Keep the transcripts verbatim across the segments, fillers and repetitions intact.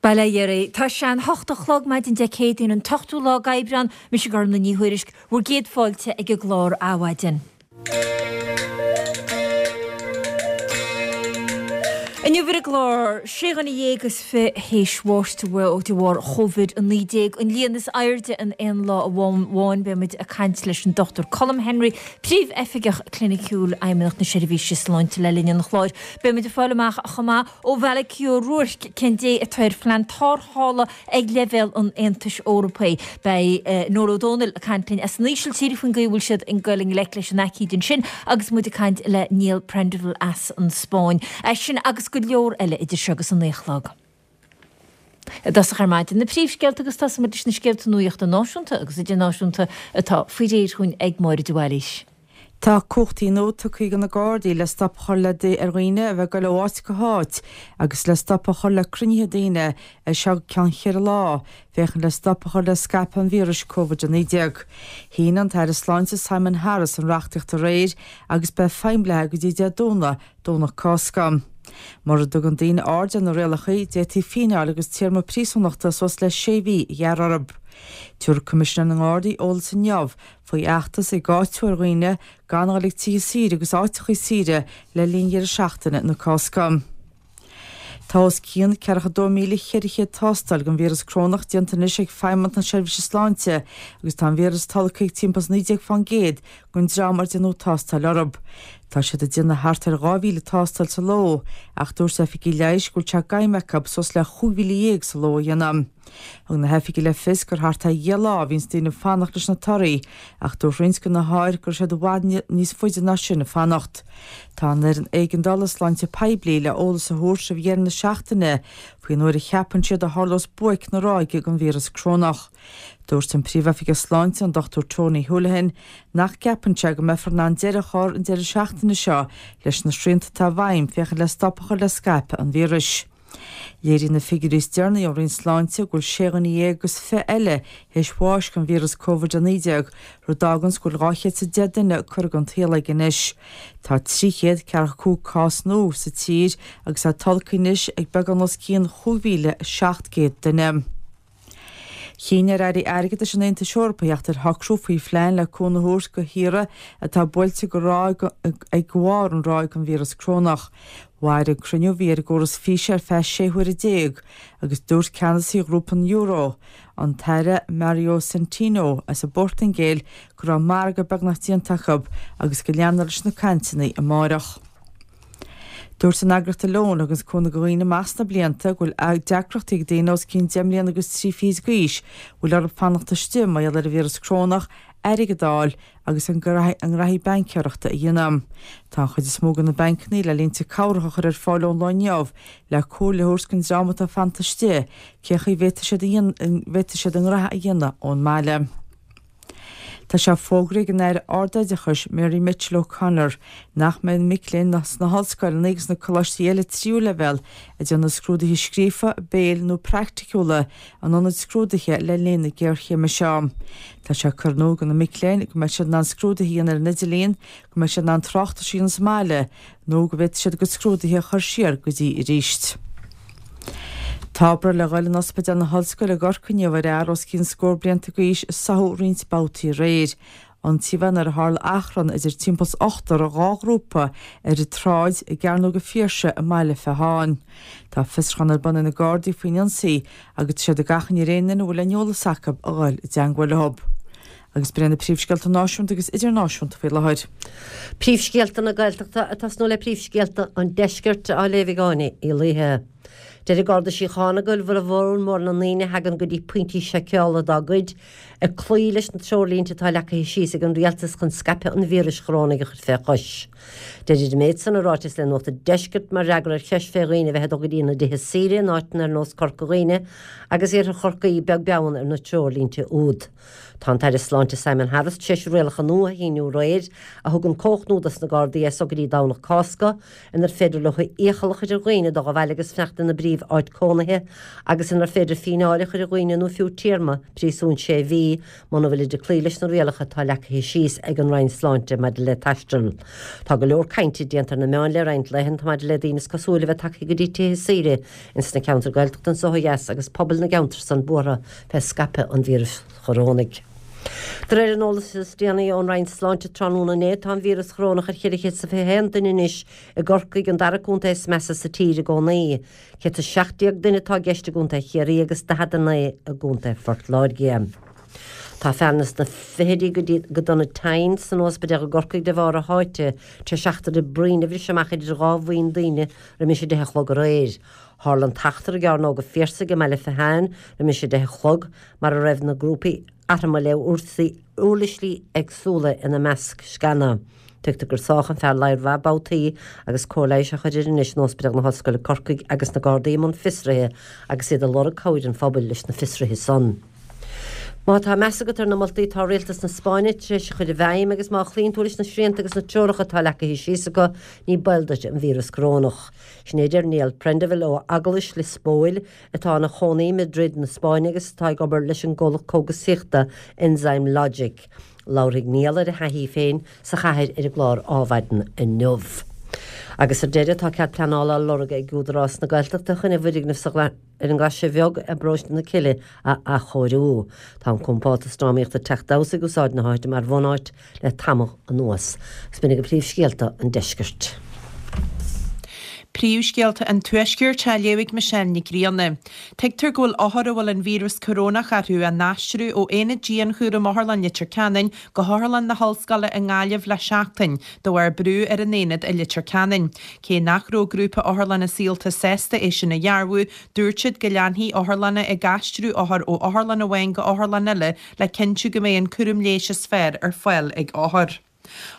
Bail ó Dhia oraibh. Tá sé an hocht a chlog maidin Dé Céadaoin an t-ochtú lá d'Aibreán, mise Gormlaith Ní Thuairisg, bhur gcéad fáilte ag an gclár Adhmhaidin. Inniu ar an gclár, sé dhuine dhéag is fiche théis bháis de bharr Covid a naoi déag, an líon is airde in aon lá amháin. Beidh muid ag caint leis an Dochtúir Colm Henry, Príomh-Oifigeach Cliniciúil Fheidhmeannacht na Seirbhíse Sláinte le linn an chláir. Beidh muid ag fáil amach chomh maith ó Mhalachy Ó Ruairc cén dóigh atá ar phlean tarrthála ag leibhéal an Aontais Eorpaigh. Beidh Noel Ó Dónaill ag caint linn as an Ísiltír faoin gcaoi a bhfuil siad ag dul i ngleic leis an aicíd ansin agus muid ag caint le Niall Prendiville as an Spáinn. É sin agus go leor eile idir seo agus a naoi a chlog. I dtosach ar maidin, na príomhscéalta agus tosóimid leis na scéalta nuachta náisiúnta agus idirnáisiúnta atá faoi réir chugainn ag Máire de Bhailís. Tá cumhachtaí nua tugtha do na Gardaí le stop a chur le ar dhaoine a bheith ag dul ó áit go háit agus le stop a chur le cruinnithe daoine ar seo go ceann cheithre lá, féachaint le stop a chur le scaipeadh an víris Covid a naoi déag. Shínigh an tAire Sláinte Simon Harris an reachtaíocht aréir agus beidh feidhm léi go dtí Dé Domhnaigh, Domhnach Cásca. Mura dtugann daoine aird ar na rialacha, d'fhéadfaí fíneáil agus téarma príosúnachta suas le sé mhí a ghearradh orthu. Tabharfaidh Coimisinéir na nGardaí eolas inniu faoi fheachtas ag áitiú ar dhaoine gan a dhul ag tithe saoire agus áiteacha saoire le linn dheireadh seachtaine na Cásca. Tá os cionn ceathracha dó míle cheithre chéad tástáil den víreas corónach déanta anois ag Feidhmeannacht na Seirbhíse Sláinte agus tá an víreas tolgtha ag timpeall is naoi déag fán gcéad den dream ar déanadh tástáil orthu. Tá siad ag déanamh thart ar dhá mhíle tástáil sa ló ach dúirt oifigigh leighis go bhfuil sé d'aidhm acu suas le chúig mhíle dhéag sa ló a dhéanamh. Thug na hoifigigh le fios gur thart ar dheich lá a bhíonns daoine ag fanacht leis na torthaí ach dúirt roinnt de na hothair go raibh siad i bhfad níos faide ná sin ag fanacht. Tá an fhoireann éigeandála sláinte poiblí le eolas a thabhairt roimh dheireadh na seachtaine faoin uair a cheapann siad a tharlós buaic na ráige den víreas corónach. Dúirt an Príomhoifigeach Sláinte, an Dochtúir Tony Holohan, nach gceapann sé go mbeifear in ann deireadh a chur an deireadh seachtaine seo leis na srianta atá i bhfeidhm féachaint le stop a chur le scaipeadh an víris. Léiríonn na figiúirí is deireanaí ón Roinn Sláinte go bhfuil sé dhuine dhéag agus fiche eile théis bháis den víreas Covid a naoi déag, rud a fháganns go bhfuil dhá chéad is a deich duine curtha den tsaol aige anois. Tá trí chéad ceathracha cúig cás nua sa tír agus é tolgtha anois ag beagán os cionn chúig mhíle seacht gcéad duine. Chinn ar Airí Airgeadais an Aontais Eorpaigh theacht ar shocrú faoi phlean le cúnamh a thabhairt do thíortha atá buailte go ráig ag bharr an ráig den víreas corónach. Mhair an cruinniú a bhí ar an gcóras físe ar feadh sé huaire déag agus dúirt ceannasaí ghrúpa an Euro, an tAire Mario Centeno as an bPortaingéil, go raibh margadh beagnach déanta acu agus go leanfar leis na cainteanna amárach. Dúirt an eagraíocht Alone, a thuganns cúnamh do dhaoine amach sna blianta, go bhfuil deacrachtaí ag daoine os cionn deich mbliana agus trí fichid d'aois a bhfuil orthu fanacht istigh mar gheall ar an víreas corónach, airgead a fháil agus a ngraithí baincéireachta a dhéanamh. Tá an chuid is mó de na bancanna le línte cabhrach a chur ar fáil ón lá inniu le comhairle a thabhairt don dream atá fanta istigh cé chaoi a bhféadfaidh siad a ngraithe a dhéanamh ón mbaile. Tá sé fógraithe ag an Aire Ardoideachais Mary Mitchell O'Connor nach mbeidh mic léinn sna hollscoileanna agus na coláistí eile tríú leibhéal ag déanamh scrúduithe scríofa, béil nó praiticiúla in ionaid scrúduithe le linn na géarchéime seo. Tá sé curtha in iúl do na mic léinn go mbeidh siad in ann scrúduithe a dhéanamh ar an idirlíon, go mbeidh siad in ann tráchtais a dhéanamh sa mbaile nó go bhféadfaidh siad a gcuid scrúduithe a chur siar go dtí arís. Tá obair le dhul in Ospidéal na hOllscoile i gCorcaigh inniu ar fhear os cionn scór blianta d'aois a sáthadh roinnt babhtaí aréir. Ionsaíodh é nuair a tharla achrann idir timpeall is ochtar dhá ghrúpa ar an tsráid i gCearnóg an Phiarsaigh i mBaile Feartháin. Tá fiosrúchán ar bun ag na Gardaí faoin ionsaí agus tá siad ag achainí ar aon duine a bhfuil aon eolas acu a dhul i dteangmháil leo. Agus b'in iad na príomhscéalta náisiúnta agus idirnáisiúnta faoi láthair. Príomhscéalta na Gaeltachta ag tosnú le príomhscéalta an Deiscirt á léamh ag Áine Uí Laoithe. Deir an Garda Síochána go bhfuil formhór na ndaoine a thagann go dtí pointí seiceála dá gcuid ag cloí leis na treoirlínte atá leagtha síos ag an rialtas chun scaipeadh an víris chorónaigh a chur fé chois. Deirid an méid san i ráiteas le Nuacht an Deiscirt mar fhreagra ar cheist fé dhaoine a bheith ag dul go dtí na dtithe saoire in áiteanna ar nós Corca Dhuibhne agus Iarthar Chorcaí beag beann ar na treoirlínte úd. Tá an tAire Sláinte Simon Harris tar éis rialacha nua a shíniú aréir a thugann cumhacht nua dos na Gardaí as so go dtí Domhnach Cásca inar féidir leo iachall a chur ar dhaoine dul abhaile agus fanacht ina bpríomh phríomh-áit cónaithe agus inar féidir fíneáil a chur ar dhaoine nó fiú téarma príosúin sé mhí muna bhfuilid ag cloí leis na rialacha atá leagtha síos ag an Roinn Sláinte maidir le taisteal. Tá go leor cainte déanta ar na meáin le roinnt laethanta maidir le daoine is cosúil a bheith tagtha go dtí tithe saoire ins na ceantair Gaeltachta anso ó dheas agus pobal na gceantar san buartha fé scaipeadh an víris chorónaigh. De réir an eolais is déanaí ón Roinn Sláinte tráthnóna inné, tá an víreas chorónach ar cheithre chéad is a fiche haon duine anois i gCorcaigh, an dara contae is measa sa tír i gcónaí. Céad is seacht déag duine atá i gceist i gContae Chiarraí agus daichead a naoi i gContae Phort Láirge. Tá fear ins na fichidí go dtí go dona tinn san ospidéal i gCorcaigh de bharr a sháite tar éis eachtra bruín a bhris amach idir dhá bhuíon daoine roimis a deich a chlog aréir. Tharla an t-eachtra i gCearnóg an Phiarsaigh i mBaile Fatháin roimis a deich a chlog, mar a raibh na grúpaí armtha le uirlisí éagsúla ina measc, sceana. Tuigtear gur sádh an fear ladhar mhaith babhtaí agus cóir leighis á chur air anois in Ospidéal na hOllscoile Corcaigh agus na Gardaí i mbun fiosraithe agus iad ag lorg cabhair an phobail leis na fiosruithe san. Má tá meas agat ar na moltaí atá Rialtas na Spáinne tar éis a chur i bhfeidhm agus má chloíonn tú leis na srianta agus na treoracha atá leagtha síos acu, ní baol duit an víreas corónach. Sin é a deir Niall Prendeville ó Eaglais Lios Póil, atá ina chónaí i Madrid na Spáinne agus atá ag obair leis an gcomhlacht cógasaíochta Enzyme Logic. Labharfaidh Niall ar a thaithí féin sa chathair ar an gclár Ádhmhaidin inniu. Agus ar deireadh, tá cead pleanála á lorg ag Údarás na Gaeltachta chun a bhfoirgneamh sa ar an nGlaise Bheag i bparóiste na Cille a athchóiriú. Tá an compántas drámaíochta Teach Damhsa ag úsáid na háite mar bhunáit le tamall anuas. Agus b'in agaibh príomhscéalta an deiscirt. Príomhscéalta an Tuaiscirt á léamh ag Michelle Nic Grianna. Tuigtear go bhfuil othair a bhfuil an víreas corónach orthu á n-aistriú ó aonad dianchúraim Otharlann Leitir Ceanainn go hOtharlann na hOllscoile i nGaillimh le seachtain, de bharr brú ar an aonad i Leitir Ceanainn. Cé nach raibh Grúpa Otharlanna Saolta sásta é sin a dhearbhú, dúirt siad go leanfaidh otharlanna ag aistriú othar ó otharlann amháin go otharlann eile le cinntiú go mbeidh an cúram leighis is fearr ar fáil ag othair.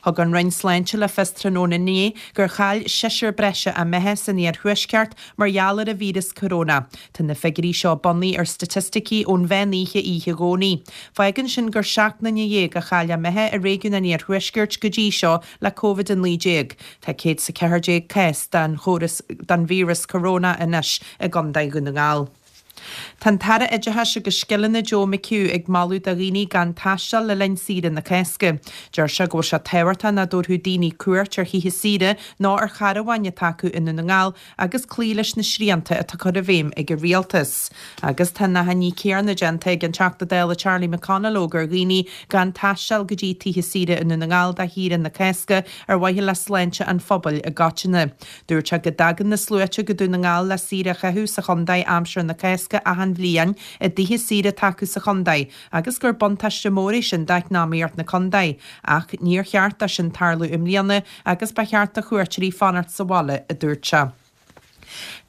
Thug an Roinn Sláinte le fios tráthnóna inné gur chaill seisear breise a mbeatha san iarthuaisceart mar gheall ar an víreas coróna. Tá na figiúirí seo bunaithe ar staitisticí ón mheán oíche oíche Dhomhnaigh. Fágann sin gur seacht nduine dhéag a chaill a mbeatha i réigiún an iarthuaiscirt go dtí seo le Covid a naoi déag. Tá céad is a ceathair déag cás den chóras den víreas coróna anois i gContae Dhún na nGall. Tá an tAire Oideachais agus Scileanna Joe McHugh ag moladh do dhaoine gan taisteal le linn saoire na Cásca. Deir sé go bhfuil sé tábhachtach nach dtabharfadh daoine cuairt ar thithe saoire ná ar charabháin atá acu i nDún na nGall agus cloí leis na srianta atá curtha i bhfeidhm ag an rialtas. Agus tá an achainí céanna déanta ag an Teachta Dála Charlie McConalogue ar dhaoine gan taisteal go dtí tithe saoire i Ndún na nGall do shaoire na Cásca ar mhaithe le sláinte an phobail i gcoitinne. Dúirt sé go dtagann na sluaite go Dún na nGall le saoire a chaitheamh sa chontae aimsir na Cásca achan bhliain i dtithe saoire atá acu sa chontae agus gur buntáiste mór é sin d'eacnamaíocht na contae. Ach níor cheart dó sin tarlú i mbliana agus ba cheart do chuairteoirí fanacht sa bhaile, a dúirt sé.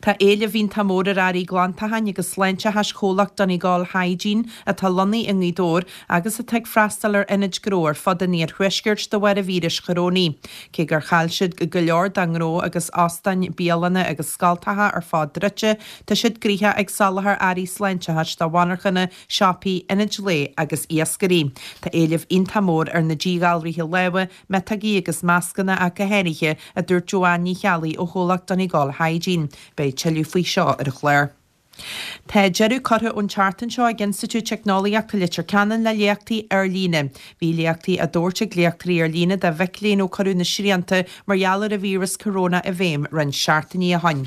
Tá éileamh iontach mór ar earraí glantacháin agus sláinteachais chomhlacht Donegal Hygiene atá lonnaithe i nGaoth Dobhair agus atá ag freastal ar ionaid gnó ar fud an iarthuaiscirt de bharr an víris chorónaigh. Cé gur chaill siad go leor dá ngnó agus óstáin, bialanna agus scoltacha ar fad druidte, tá siad gnoitheach ag soláthar earraí sláinteachais do mhonarchana, siopaí, ionaid lae agus iascairí. Tá éileamh iontach mór ar na díghalraithe láimhe, miotógaí agus mascanna ach go háirithe, a dúirt Joanne Ní Cheallaigh ó chomhlacht Donegal Hygiene. Beidh tuilleadh faoi seo ar an chlár. Tá deireadh curtha ón tseachtain seo ag Institiúid Teicneolaíochta Leitir Ceanainn le léachtaí ar líne. Bhí léachtaí á dtabhairt ag léachtóirí ar líne do mhic léinn ó cuireadh na srianta mar gheall ar an víreas coróna i bhfeidhm roinnt seachtainí ó shin.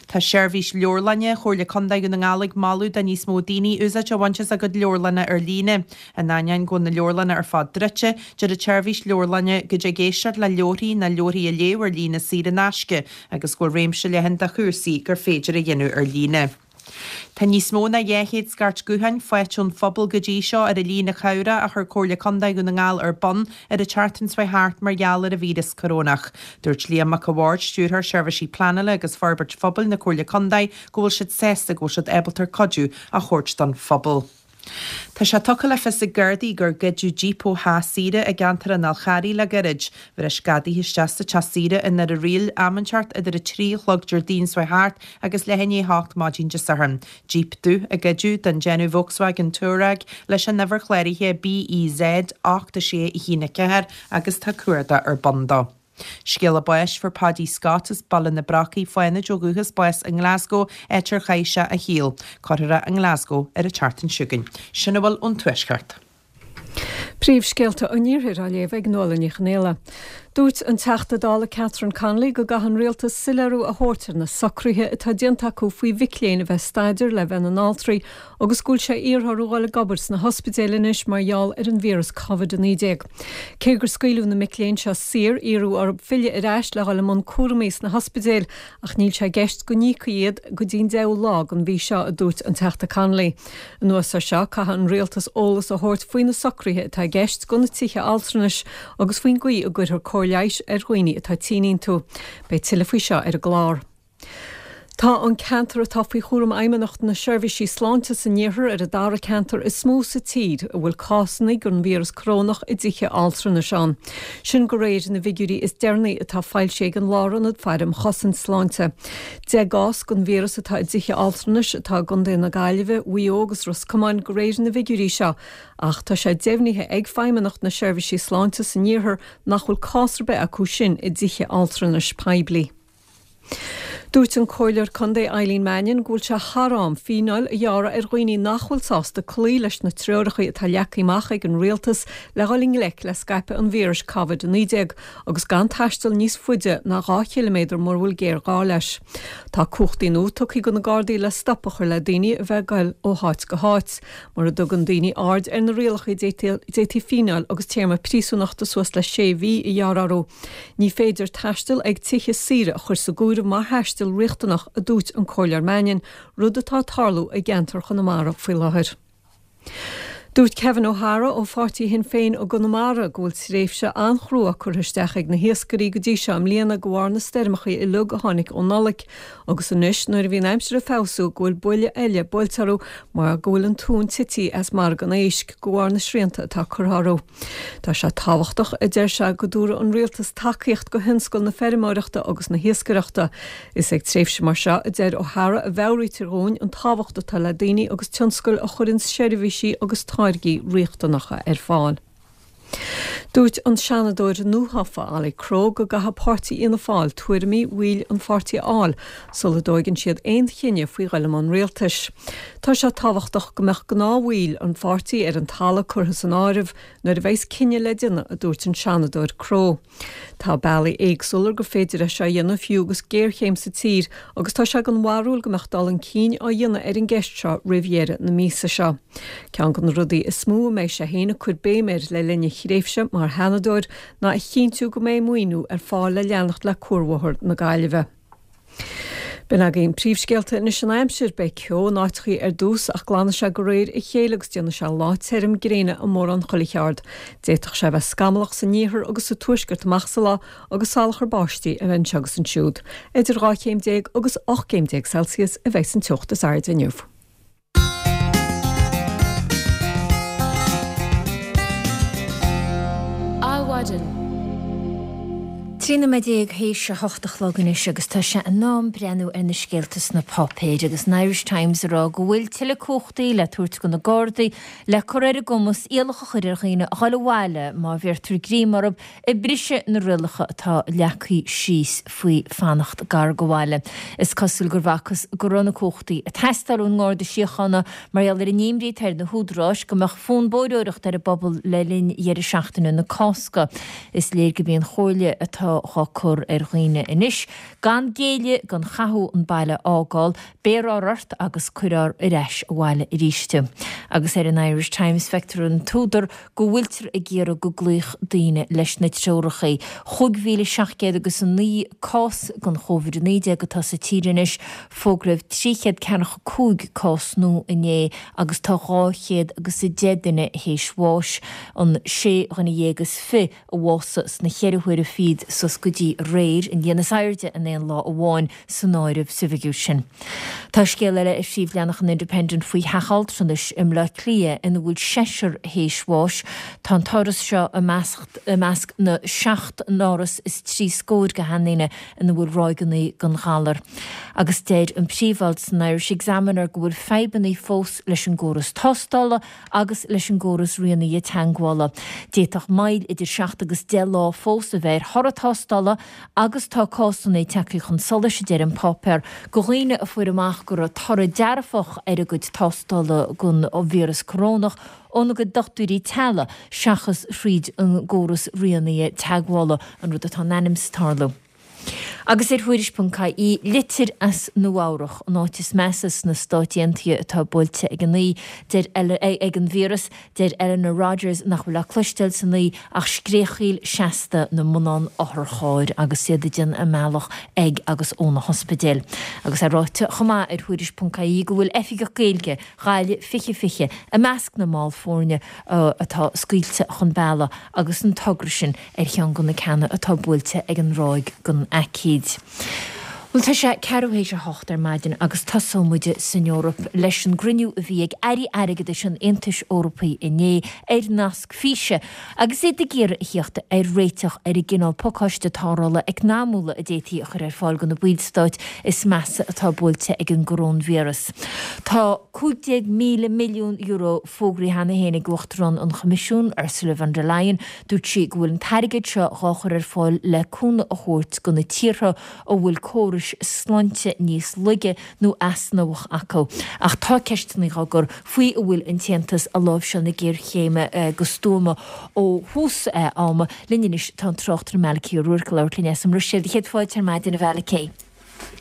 Tá seirbhís leabharlainne Chomhairle Contae Dhún na nGall ag moladh do níos mó daoine úsáid a bhaint as a gcuid leabharlanna ar líne. In ainneoin go bhfuil na leabharlanna ar fad druidte, deir an tseirbhís leabharlainne go dtig éisteacht le leabharthaí nó leabharthaí a léamh ar líne saor in aisce agus go bhfuil réimse leathan de chúrsaí gur féidir a dhéanamh ar líne. Tá níos mó ná dhá chéad scairt gutháin faighte ón phobal go dtí seo ar an líne chabhrach a chuir Comhairle Contae Dhún na nGall ar bun ar an tseachtain seo thart mar gheall ar an víreas corónach. Dúirt Liam Mac a' Bhaird, Stiúrthóir Seirbhísí Pleanála agus Forbairt Phobail na Comhairle Contae, go bhfuil siad sásta go bhfuil siad ábalta cuidiú a thabhairt don phobal. Tá sé tugtha le fios ag Gardaí gur goideadh jíp ó theach saoire i gceantar an Fhál Charraigh le gairid. Bhris gadaithe isteach sa teach saoire i nDoire Riail am inteacht idir a trí a chlog Déardaoin seo thart agus leath i ndiaidh a hocht maidin Dé Sathairn. Jíp dubh a goideadh den déanamh Volkswagen Touareg leis an uimhir chláraithe B E Z ocht a sé a haon a ceathair agus tá cuardach ar bun dó. Scéala báis fuair Paddy Scott as Baile na Brocaí Fánaid ó dhúchas bás i nGlasgow áit ar chaith sé a shaol. Cuirfear é i nGlasgow ar an tseachtain seo chugainn. Sin a bhfuil ón Tuaisceart. Príomhscéalta an Iarthair á léamh ag Nuala Ní Chonghaile. Dúirt an Teachta Dála Catherine Connolly go gcaithfidh an rialtas soiléiriú a thabhairt ar na socruithe atá déanta acu faoi mhic léinn a bheith ag staidéar le bheith ina n-altraí agus go bhfuil sé iarrtha orthu dhul ag obair sna hospidéil anois mar gheall ar an víreas Covid a naoi déag. Cé gur scaoileadh na mic léinn seo saor, iarradh orthu filleadh ar ais le dhul i mbun cúraimí sna hospidéil ach níl sé i gceist go n-íocfaí iad go dtí an deichiú lá den mhí seo, a dúirt an Teachta Connolly. Anuas air seo, caithfidh an rialtas eolas a thabhairt faoi na socruithe atá i gceist do na tithe altranais agus faoin gcaoi a gcuirfear cóir leighis ar dhaoine atá tinn iontu. Beidh tuilleadh faoi seo ar an gclár. Tá an ceantar atá faoi chúram Fheidhmeannacht na Seirbhísí Sláinte san Iarthar ar an dara ceantar is mó sa tír a bhfuil cásanna den víreas corónach i dtithe altranais ann. Sin de réir na bhfigiúirí is deireanaí atá foilsithe ag an Lárionad Faire um Chosaint Sláinte. Deich gcás den víreas atá i dtithe altranais atá i gContae na Gaillimhe, Mhaigh Eo agus Ros Comáin de réir na bhfigiúirí seo, ach tá sé deimhnithe ag Feidhmeannacht na Seirbhísí Sláinte san Iarthar nach bhfuil cás ar bith acu sin i dtithe altranais poiblí. Dúirt an Comhairleoir Contae Eileen Mannion go bhfuil sé thar am fíneáil a ghearradh ar dhaoine nach bhfuil sásta cloí leis na treoracha atá leagtha amach ag an rialtas le dhul i ngleic le scaipeadh an víris Covid a naoi déag agus gan taisteal níos faide ná dhá chiliméadar mura bhfuil géarghá leis. Tá cumhachtaí nua tugtha do na Gardaí le stop a chur le daoine a bheith ag goil ó háit go háit. Mura dtugann daoine aird ar na rialacha d'fhéadfaí fíneáil agus téarma príosúnachta suas le sé mhí a ghearradh orthu. Ní féidir taisteal ag tithe saoire a chur sa gcomhaireamh mar thaisteal riachtanach, a dúirt an Comhairleoir Mannion, rud atá ag tarlú i gceantar Chonamara faoi láthair. Dúirt Kevin O'Hara ó pháirtí Shinn Féin i gConamara go bhfuil tréimhse an-chrua curtha isteach ag na hiascairí go dtí seo i mbliana de bharr na stoirmeacha uilig a tháinig ó Nollaig agus anois nuair a bhí an aimsir ag feabhsú go bhfuil buille eile buailte orthu mar go bhfuil an tonn tite as margadh an éisc de bharr na srianta atá curtha orthu. Tá sé tábhachtach, a deir sé, go dtabharfadh an rialtas tacaíocht do thionscal na feirmeoireachta agus na hiascaireachta. Is ag tréimhse mar seo, a deir O'Hara, a mheabhraítear dhúinn an tábhacht atá le daoine agus tionscail a chuireann seirbhísí agus táirgí riachtanacha ar fáil. Dúirt an Seanadóir nuathofa Ollie Crowe go gcaithfidh páirtí Fhianna Fáil tuairimí bhaill an pháirtí a fháil sula dtóigeann siad aon chinneadh faoi dhul i mbun rialtais. Tá sé tábhachtach go mbeadh gnáthbhaill an pháirtí ar an talamh curtha san áireamh nuair a bheas cinneadh le déanamh, a dúirt an Seanadóir Crowe. Tá bealaí éagsúla gur féidir é seo a dhéanamh fiú agus géarchéim sa tír agus tá sé den bharúil go mbeadh dul chun cinn á dhéanamh ar an gceist seo roimh dheireadh na míosa seo. Ceann de na rudaí is mó a mbeidh sé féin ag cur béim air le linn a thréimhse mar Sheanadóir ná a chinntiú go mbeidh maoiniú ar fáil le leanacht le Cuarbhóthar na Gaillimhe. B'in againn príomhscéalta anois an aimsir. Beidh ceo in áiteachaí ar dtús ach glanfaidh sé de réir a chéile agus déanfaidh sé lá tirim gréine i mórán chuile cheard. D'fhéadfadh sé a bheith scamallach san iarthar agus sa tuaisceart amach sa lá agus salachar báistí a bheith anseo agus ansiúd. Idir dhá chéim déag agus ocht gcéim déag Celsius a bheidh an teocht is airde inniu. Adhmhaidin. Trí nóiméad déag théis a hocht a chlog anois agus tá sé in am breathnú ar na scéalta sna páipéir agus an Irish Times ag rá go bhfuil tuilleadh cumhachtaí le tabhairt do na Gardaí le cur ar a gcumas iallach a chur ar dhaoine a dhul abhaile má bheirtear greim orthu ag briseadh na rialacha atá leagtha síos faoi fanacht gar do bhaile. Is cosúil gur bhfacthas go raibh na cumhachtaí ag teastáil ón nGarda Síochána mar gheall ar an imní atá ar na húdaráis go mbeadh fonn bóithreoireachta ar an bpobal le linn dheireadh seachtaine na Cásca. Is léir gurb í an chomhairle atá á cur ar dhaoine anois gan géilleadh don chathú an baile a fhágáil, beir ort agus cuirfear ar ais abhaile arís tú. Agus ar an Irish Times feictear an t-údar go bhfuiltear ag iarraidh go gcloífeadh daoine leis na treoracha. Chúig mhíle seacht gcéad agus a naoi cás den Chóivid a naoi déag atá sa tír anois, fógraíodh trí chéad ceathracha cúig cás nua inné agus tá dhá chéad agus a deich duine théis bháis, an sé dhuine dhéag is fiche a bhásaigh sna ceithre huaire fichead suas go dtí aréir, an líon is airde in aon lá amháin san áireamh sa bhfigiúr sin. Tá scéal eile ar phríomhleathanach an Independent faoi theach altranais i mBleá Cliath ina bhfuil seisear théis bháis. Tá an t-áras seo i measc na seacht n-áras is trí scór de sheandaoine ina bhfuil ráigeanna den ghalar. Agus deir an príomhalt san Irish Examiner go bhfuil fadhbanna fós leis an gcóras tástála agus leis an gcóras rianaithe teagmhála. D'fhéadfadh moill idir seacht agus deich lá fós a bheith ar thoradh tástála. tástála agus tá cásanna tagtha chun solais, a deir an páipéar, de dhaoine a fuair amach go raibh toradh dearfach ar a gcuid tástála don víreas corónach óna gcuid dochtúirí teaghlaigh seachas thríd an gcóras rianaithe teagmhála, an rud atá in ainm is tarlú. Agus ar Thuairisc ponc ie, litir as Nua-Eabhrac, an áit is measa sna Stáit Aontaithe atá buailte ag an aoi, deir ag an víreas, deir Eleanor Rogers nach bhfuil le cloisteáil san aoi ach scréachaíl seasta na mbonnán otharchairr agus iad ag déanamh a mbealach ag agus ó na hospidéil. Agus é ráite chomh maith ar Thuairisc ponc ie go bhfuil Oifigeach Gaeilge Ghaillimh fiche fiche i measc na mball foirne atá scaoilte chun bealaigh agus an togra sin ar cheann de na ceanna atá buailte ag an ráig den aicíd. Bhuel, tá sé ceathrú théis a hocht ar maidin agus tosóidh muid san Eoraip leis an gcruinniú a bhí ag Airí Airgeadais an Aontais Eorpaigh inné ar nasc físe agus iad ag iarraidh a theacht ar réiteach ar an gcineál pacáiste tarrthála eacnamúla a d'fhéadfaí a chur ar fáil do na ballstáit is measa atá buailte ag an gcoróinvíreas. Tá cúig déag míle milliún euro fógraithe cheana féin ag Uachtarán an Choimisiúin, Ursula von der Leyen. Dúirt sí go bhfuil an t-airgead seo dhá chur ar fáil le cúnamh a thabhairt do na tíortha a bhfuil córais sláinte níos laige nó easnamhach acu. Ach tá ceisteanna á gcur faoi an bhfuil an tAontas ag láimhseáil na géarchéime go stuama ó thús ama. Linn anois tá an tráchtaire Malachy Ó Ruairc ag labhairt linn as an mBruiséil. Céad fáilte ar maidin a Mhalachy.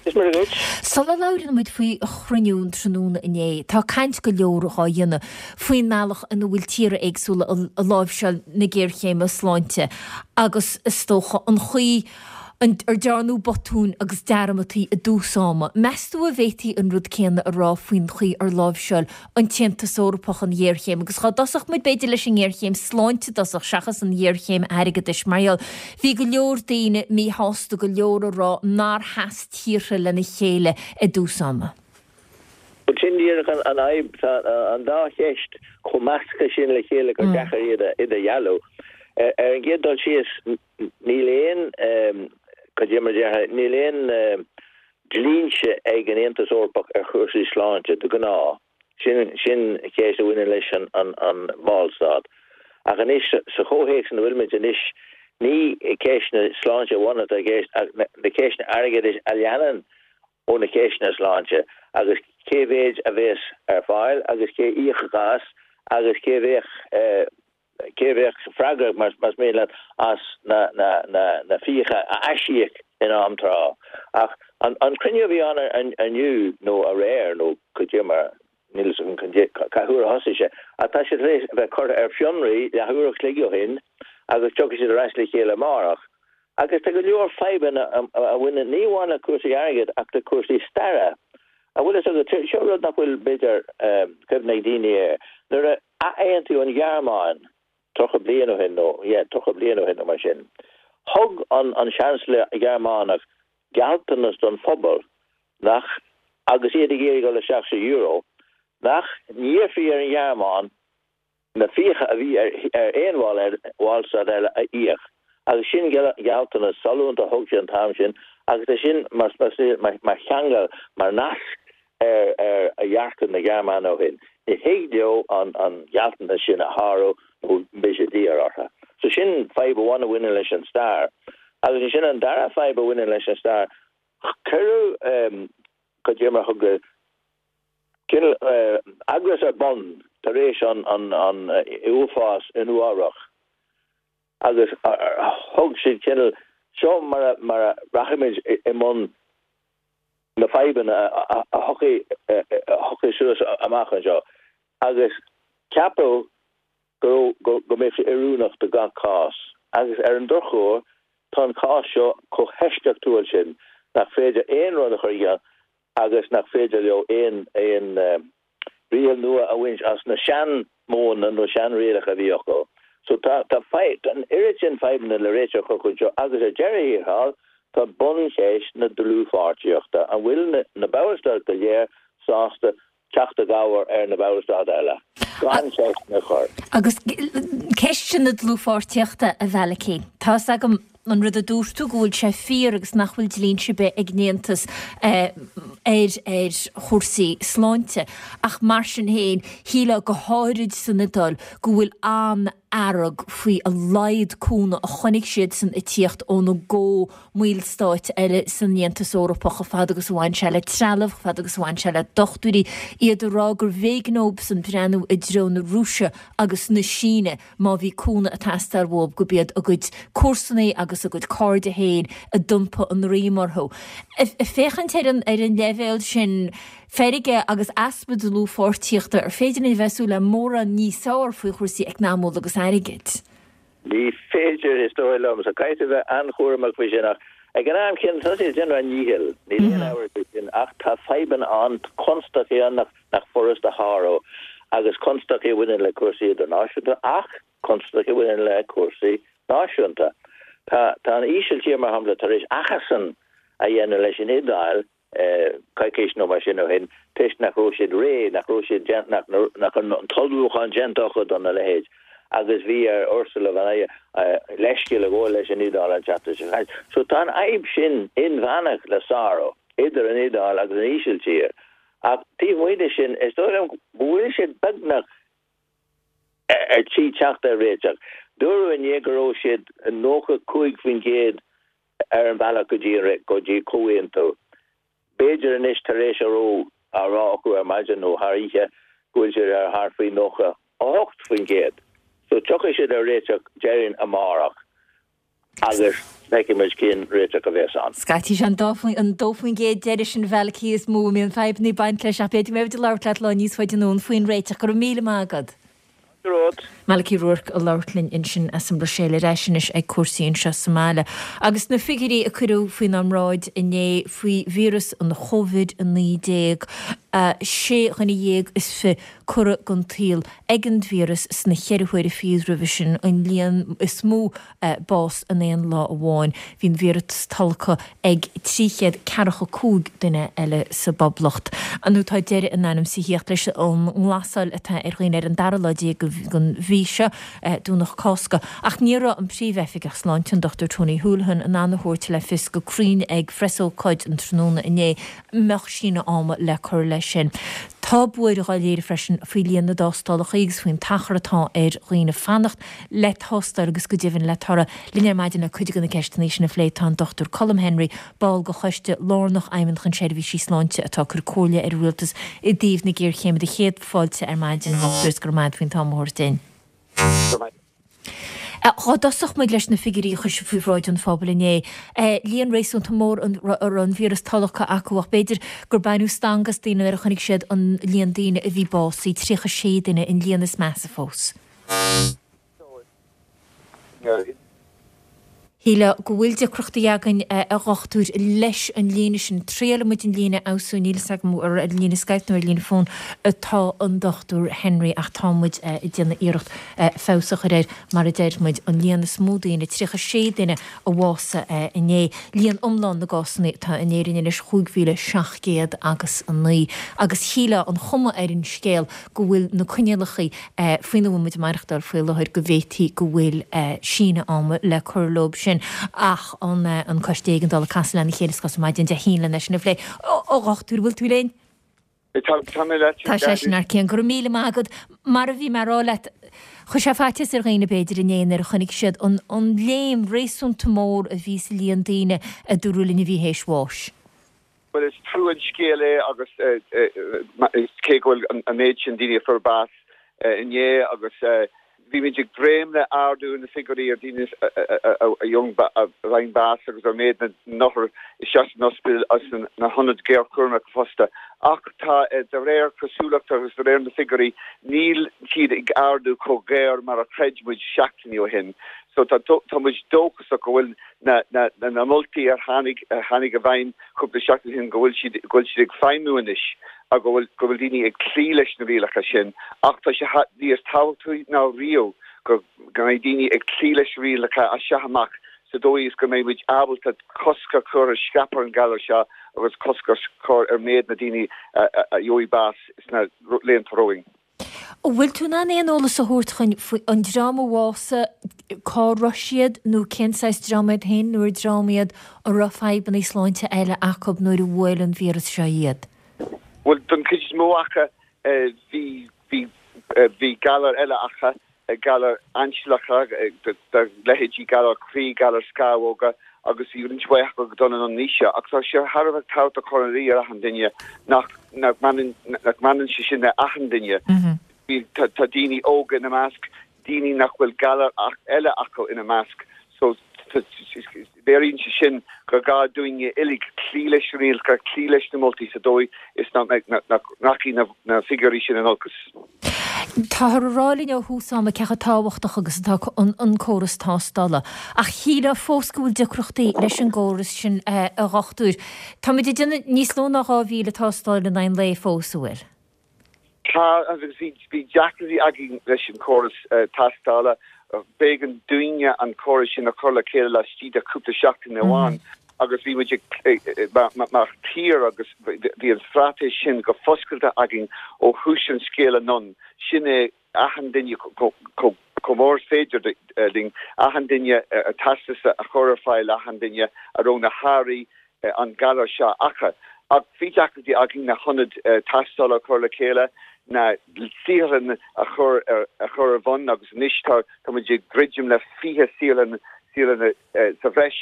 Is maith duit. Sula labhrann muid faoi chruinniú an tráthnóna inné, tá caint go leor dhá dhéanamh faoin mbealach ina bhfuil tíortha éagsúla ag láimhseáil na géarchéime sláinte agus is dócha an chaoi ar dearnadh botúin agus dearmadtaí i dtús ama. Meas tú an bhféadfaí an rud céanna a rá faoin chaoi ar láimhseáil an tAontas Eorpach an ghéarchéim? Agus dhá dtosódh muid b'fhéidir leis an ngéarchéim sláinte i dtosach seachas an ghéarchéim airgeadais, mar gheall bhí go leor daoine míshásta, go leor ag rá nár sheas tíortha lena chéile i dtús ama. Bhuel, sin díreach an fhadhb, tá an dá cheist chomh measctha sin le chéile gur deacair iad a idirdhealú. Ar an gcéad dul síos, níl aon, cad é mar a déarfá, níl aon dlínse ag an Aontas Eorpach ar chúrsaí sláinte de ghnáth. Sin, sin ceist a bhaineann leis an, an, an ballstát. Ach anois, sa chomhthéacs ina bhfuilimid anois, ní ceisteanna sláinte amháin atá i gceist ach na, na ceisteanna airgeadais a leanann ó na ceisteanna sláinte agus cé mhéid a bheas ar fáil agus cé íocfadh as agus cé bheadh, cé a bheadh freagrach, más mian leat, as na fiacha a aisíoc in am tráth. Ach an cruinniú a bhí ann inniu, nó aréir, nó cad é mar, níl a fhios agam cá huair a thosaigh sé, ach tá sé tar éis a bheith curtha ar fionraí leathuair a chloig ó shin agus tiocfaidh siad ar ais le chéile amárach. Agus tá go leor fadhbanna a bhaineann ní amháin le cúrsaí airgid ach le cúrsaí staire. An bhfuil a fhios agat, seo rud nach bhfuil, b'fhéidir, cuimhne ag daoine air, nuair a athaontaíodh an Ghearmáin tríocha bliain ó shin, nó, yeah, tríocha bliain ó shin nó mar sin, thug an an Seansailéir Gearmánach gealltanas don phobal nach, agus iad ag iarraidh dul isteach sa euro, nach n-iarrfaí ar an Ghearmáin na fiacha a bhí ar aon bhall bhallstát eile a íoc. Agus sin gealltanas sollúnta a thug sé an t-am sin agus é sin mar mar cheangal, mar nasc ar ar dhearcadh na Gearmáine ó shin. Ní thig leo an an gealltanas sin a shárú nó beidh sé daor orthu. So sin fadhb amháin a bhaineann leis an stair. Agus ansin an dara fadhb a bhaineann leis an stair, cuireadh, cad é mar a thug, cineál eagras ar bun tar éis an uafás i Nua-Eabhrac agus thug siad cineál, seo mar a mar a rachaimid i mbun na fadhbanna a thiocfaidh suas amach anseo agus ceapadh go go mbeadh sé oiriúnach do gach cás agus ar an drochuair tá an cás seo chomh heisceachtúil sin nach féidir aon rud a chur i gciall agus nach féidir leo aon aon riail nua a bhaint as na sean-mhodhanna nó sean-rialacha a bhí acu. So tá tá an oiread sin fadhbanna le réiteach anseo agus ar deireadh thiar thall tá buncheist na dlúthpháirtíochta, an bhfuil na na ballstáit go léir sásta teacht i gcabhair ar na ballstáit eile gan ceisteanna a chur? Agus ceist sin na dlúthpháirtíochta, a Mhalachy, tá's agam an rud a dúirt tú, go bhfuil sé fíor agus nach bhfuil dlínse ar bith ag an Aontas ar ar chúrsaí sláinte ach mar sin féin shílfeá go háirid san Iodáil go bhfuil an-fhearg faoi a laghad cúnamh a chonaic siadsan ag tíocht óna gcomh-bhallstáit eile san Aontas Eorpach chomh fada agus a bhain sé le trealamh, chomh fada agus a bhain sé le dochtúirí, iad ag rá gurbh éigean dóibhsan breathnú i dtreo na Rúise agus na Síne má bhí cúnamh ag teastáil uathu gurb iad a gcuid comharsanaí agus a gcuid cairde féin a d'iompaigh a ndroim orthu. Ag féachaint ar an ar an leibhéal sin feirge agus easpa dlúthpháirtíochta, ar féidir linn a bheith ag súil le mórán níos fearr faoi chúrsaí eacnamúla agus airgid? Ní féidir, is dóigh liom. So caithfidh tú a bheith an-chúramach faoi sin ach ag an am céanna tá siad ag déanamh a ndíchill, níl aon amhras faoi sin ach tá fadhbanna ann, constaicí ann nach furast a shárú agus constaicí a bhaineann le cúrsaí idirnáisiúnta ach constaicí a bhaineann le cúrsaí náisiúnta. Tá tá an Ísiltír, mar shampla, tar éis achasan a dhéanamh leis an Iodáil coicís nó mar sin ó shin toisc nach raibh siad réidh, nach raibh siad déanta, nach nach raibh an t-ullmhúchán déanta acu dona leithéid agus bhí ar Ursula von Leyen leithscéal a ghabháil leis an Iodáil an tseachtain seo caite. So tá an fhadhb sin inmheánach le sárú idir an Iodáil agus an Ísiltír. Ach taobh amuigh de sin, is dóigh liom go bhfuil siad beagnach ar tí teacht ar réiteach. Dúradh inné go raibh siad nócha cúig faoin gcéad ar an bhealach go dtí go dtí comhaontú. B'fhéidir anois tar éis a raibh á rá acu ar maidin nó thar oíche go bhfuil siad ar thart faoi nócha a hocht faoin gcéad. So tiocfaidh siad ar réiteach déarfainn amárach agus feicfidh muid cén réiteach a bheas ann. Scaití sé an dá faoin gcéad deiridh sin Mhalachy is mó a mbíonn fadhbanna ag baint leis ach b'fhéidir go mbeidh muid ag labhairt leat lá níos faide anonn faoin réiteach. Go raibh míle maith agat. Malachy Rourke ag labhairt linn ansin as an Bhruiséil ar ais anois ag cúrsaí anseo sa mbaile. Agus na figiúirí a cuireadh faoinár mbráid inné faoi víreas an Chóivid a naoi déag, sé dhuine dhéag is fiche curtha den tsaol ag an víreas sna ceithre huaire fichead roimhe sin, an líon is mó bás in aon lá amháin. Bhí an víreas tolgtha ag trí chéad ceathracha cúig duine eile sa bPoblacht. Nó tá deireadh in ainm is a thíocht leis an nglasáil atá ar dhaoine ar an dara lá déag den mhí seo, Domhnach Cásca. Ach ní raibh an Príomh-Oifigeach Sláinte, an Dochtúir Tony Holohan, in ann a thabhairt le fios go cruinn ag phreasócáid an tráthnóna inné an mbeadh síneadh ama le cur leis sin. Tá buaireamh á léiriú freisin faoi líon na dtástálacha agus faoin t-achar atá ar dhaoine fanacht le tástáil agus go deimhin le toradh. Linn ar maidin le cuid de na ceisteanna sin a phlé tá an Dochtúir Colm Henry, ball de Choiste Lárnach Fheidhmeannacht na Seirbhísí Sláinte atá ag cur comhairle ar an Rialtas i dtaobh na géarchéime. Do chéad fáilte ar maidin, a Dhochtúir, is go raibh maith agat faoin t-am a thabhairt dúinn. Go raibh maith. Dhá dtosódh muid leis na figiúirí a chuir sibh faoi bhráid an phobail inné, líon réasúnta mór a raibh an víreas tolgtha acu ach b'fhéidir gur baineadh stangadh as daoine nuair a chonaic siad an líon daoine a bhí básaithe, tríocha sé duine, an líon is measa fós. Shílfeá go bhfuil deacrachtaí againn, a dhochtúir, leis an líne sin. Triailfidh muid an líne a fheabhsú. Níl fhios agam ar an líne Skype nó ar líne fóin atá an Dochtúir Henry ach tá muid ag déanamh iarracht feabhas a chur air. Mar a deir muid, an líon is mó daoine, tríocha sé duine a bhásaigh inné. Líon iomlán na gcásanna atá in Éirinn anois, chúig mhíle seacht gcéad agus a naoi. Agus shílfeá, an chuma ar an scéal, go bhfuil na coinníollacha faoina bhfuil muid ag maireachtáil faoi láthair, go bhféadfaí go bhfuil síneadh ama le cur leo sin ach an Coiste Éigeandála ag casadh lena chéile ar maidin Dé hAoine leis sin a phlé. A Dhochtúir, bhfuil tú linn? Tá mé leat. Tá seisean thar cionn. Go raibh míle maith agat. Mar a bhí mé a rá leat, chuir sé faitíos ar dhaoine b'fhéidir inné nuair a chonaic siad an léim réasúnta mór a bhí sa líon daoine a dúradh linn a bhí théis bháis. Bhuel, is trua an scéal é agus cé go bhfuil an méid sin daoine a fuair bás inné agus bhí muid ag dréim le ardú na figiúirí ar daoine a fhaigheann bás agus ar méid na n-othar isteach san ospidéal agus sna hionaid ghéarchúraim fosta. Ach tá, de réir cosúlachta agus de réir na figiúirí, níl siad ag ardú chomh géar mar a chreid muid seachtainí ó shin. So tá muid dóchasach go bhfuil na na moltaí a tháinig a tháinig i bhfeidhm cúpla seachtain ó shin go bhfuil siad go bhfuil siad ag feidhmiú anois agus go bhfuil go bhfuil daoine ag cloí leis na rialacha sin ach tá sé níos tábhachtaí ná riamh go go mbeidh daoine ag cloí leis na rialacha as seo amach sa dóigh is go mbeidh muid ábalta cosc a chur ar scaipeadh an ghalair seo agus cosc a chur ar méid na daoine a gheobhaidh bás sna laethanta romhainn. An bhfuil tú in ann aon eolas a thabhairt chugainn faoi an dream a bhásaigh, cá raibh siad nó cén saghas dream iad féin nó ar dream iad a raibh fadhbanna sláinte eile acu nuair a bhuail an víreas seo iad? Bhuel, don chuid is mó acu bhí, bhí, bhí galair eile acu, galair ainsealacha, de leithéidí galar croí, galar scamhóga agus bhí roinnt mhaith acu ag dul anonn in aois. Ach tá sé thar a bheith tábhachtach a chur ina luí ar achan duine nach nach mbaineann nach mbaineann sé sin le achan duine. Bhí tá tá daoine óga ina measc, daoine nach bhfuil galar eile acu ina measc. So léiríonn sé sin gur gá dúinne uilig cloí leis na rialacha, cloí leis na moltaí sa dóigh is nach nach rachaidh na na figiúirí sin in olcas. Táthar a rá linn ó thús ama cé chomh tábhachtach agus atá an córas tástála, ach shílfeá fós go bhfuil deacrachtaí leis an gcóras sin, a dhochtúir. Táimid ag déanamh níos lú ná dhá mhíle tástáil in aghaidh an lae fós, an bhfuil? Tá, agus bhí deacrachtaí againn leis an chóras tástála. B'éigean dúinne an córas sin a chur le chéile laistigh de chúpla seachtain amháin agus bhí muid mar thír agus bhí an straitéis sin go foscailte againn ó thús an scéil anonn, sin é achan duine chomh mór is féidir linn, achan duine teastas a chur ar fáil achan duine a raibh na hairí an galar seo acu. Ach bhí deacrachtaí againn na hionaid tástála a chur le chéile, na saotharlanna a chur ar a chur ar bun agus anois tá tá muid ag druidim le fiche saotharlann saotharlanna sa bhreis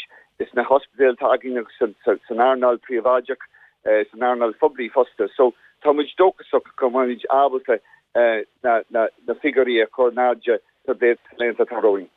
sna hospidéil atá againn agus san earnáil phríobháideach, san earnáil phoiblí fosta. So tá muid dóchasach go mbeimid ábalta na na na figiúirí a chur in airde sna laethanta atá romhainn.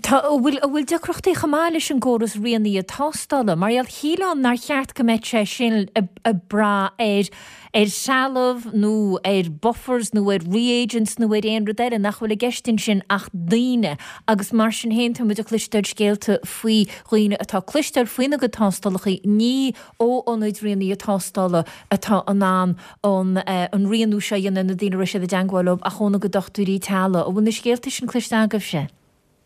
Tá, an bhfuil, an bhfuil deacrachtaí chomh maith leis an gcóras rianaithe tástála? Mar gheall, shílfeá nár cheart go mbeadh sé sin ag brath ar, ar threalamh nó ar buffers nó ar reagents nó ar aon rud eile, nach bhfuil i gceist ansin ach daoine agus mar sin féin tá muid ag cloisteáil scéalta faoi dhaoine atá ag cloisteáil faoina gcuid tástálacha, ní ó ionaid rianaithe tástála atá in ann an, an rianú seo a dhéanamh ar na daoine a raibh siad i dteangmháil leo ach óna gcuid dochtúirí teaghlaigh. An bhfuil na scéalta sin cloiste agaibhse?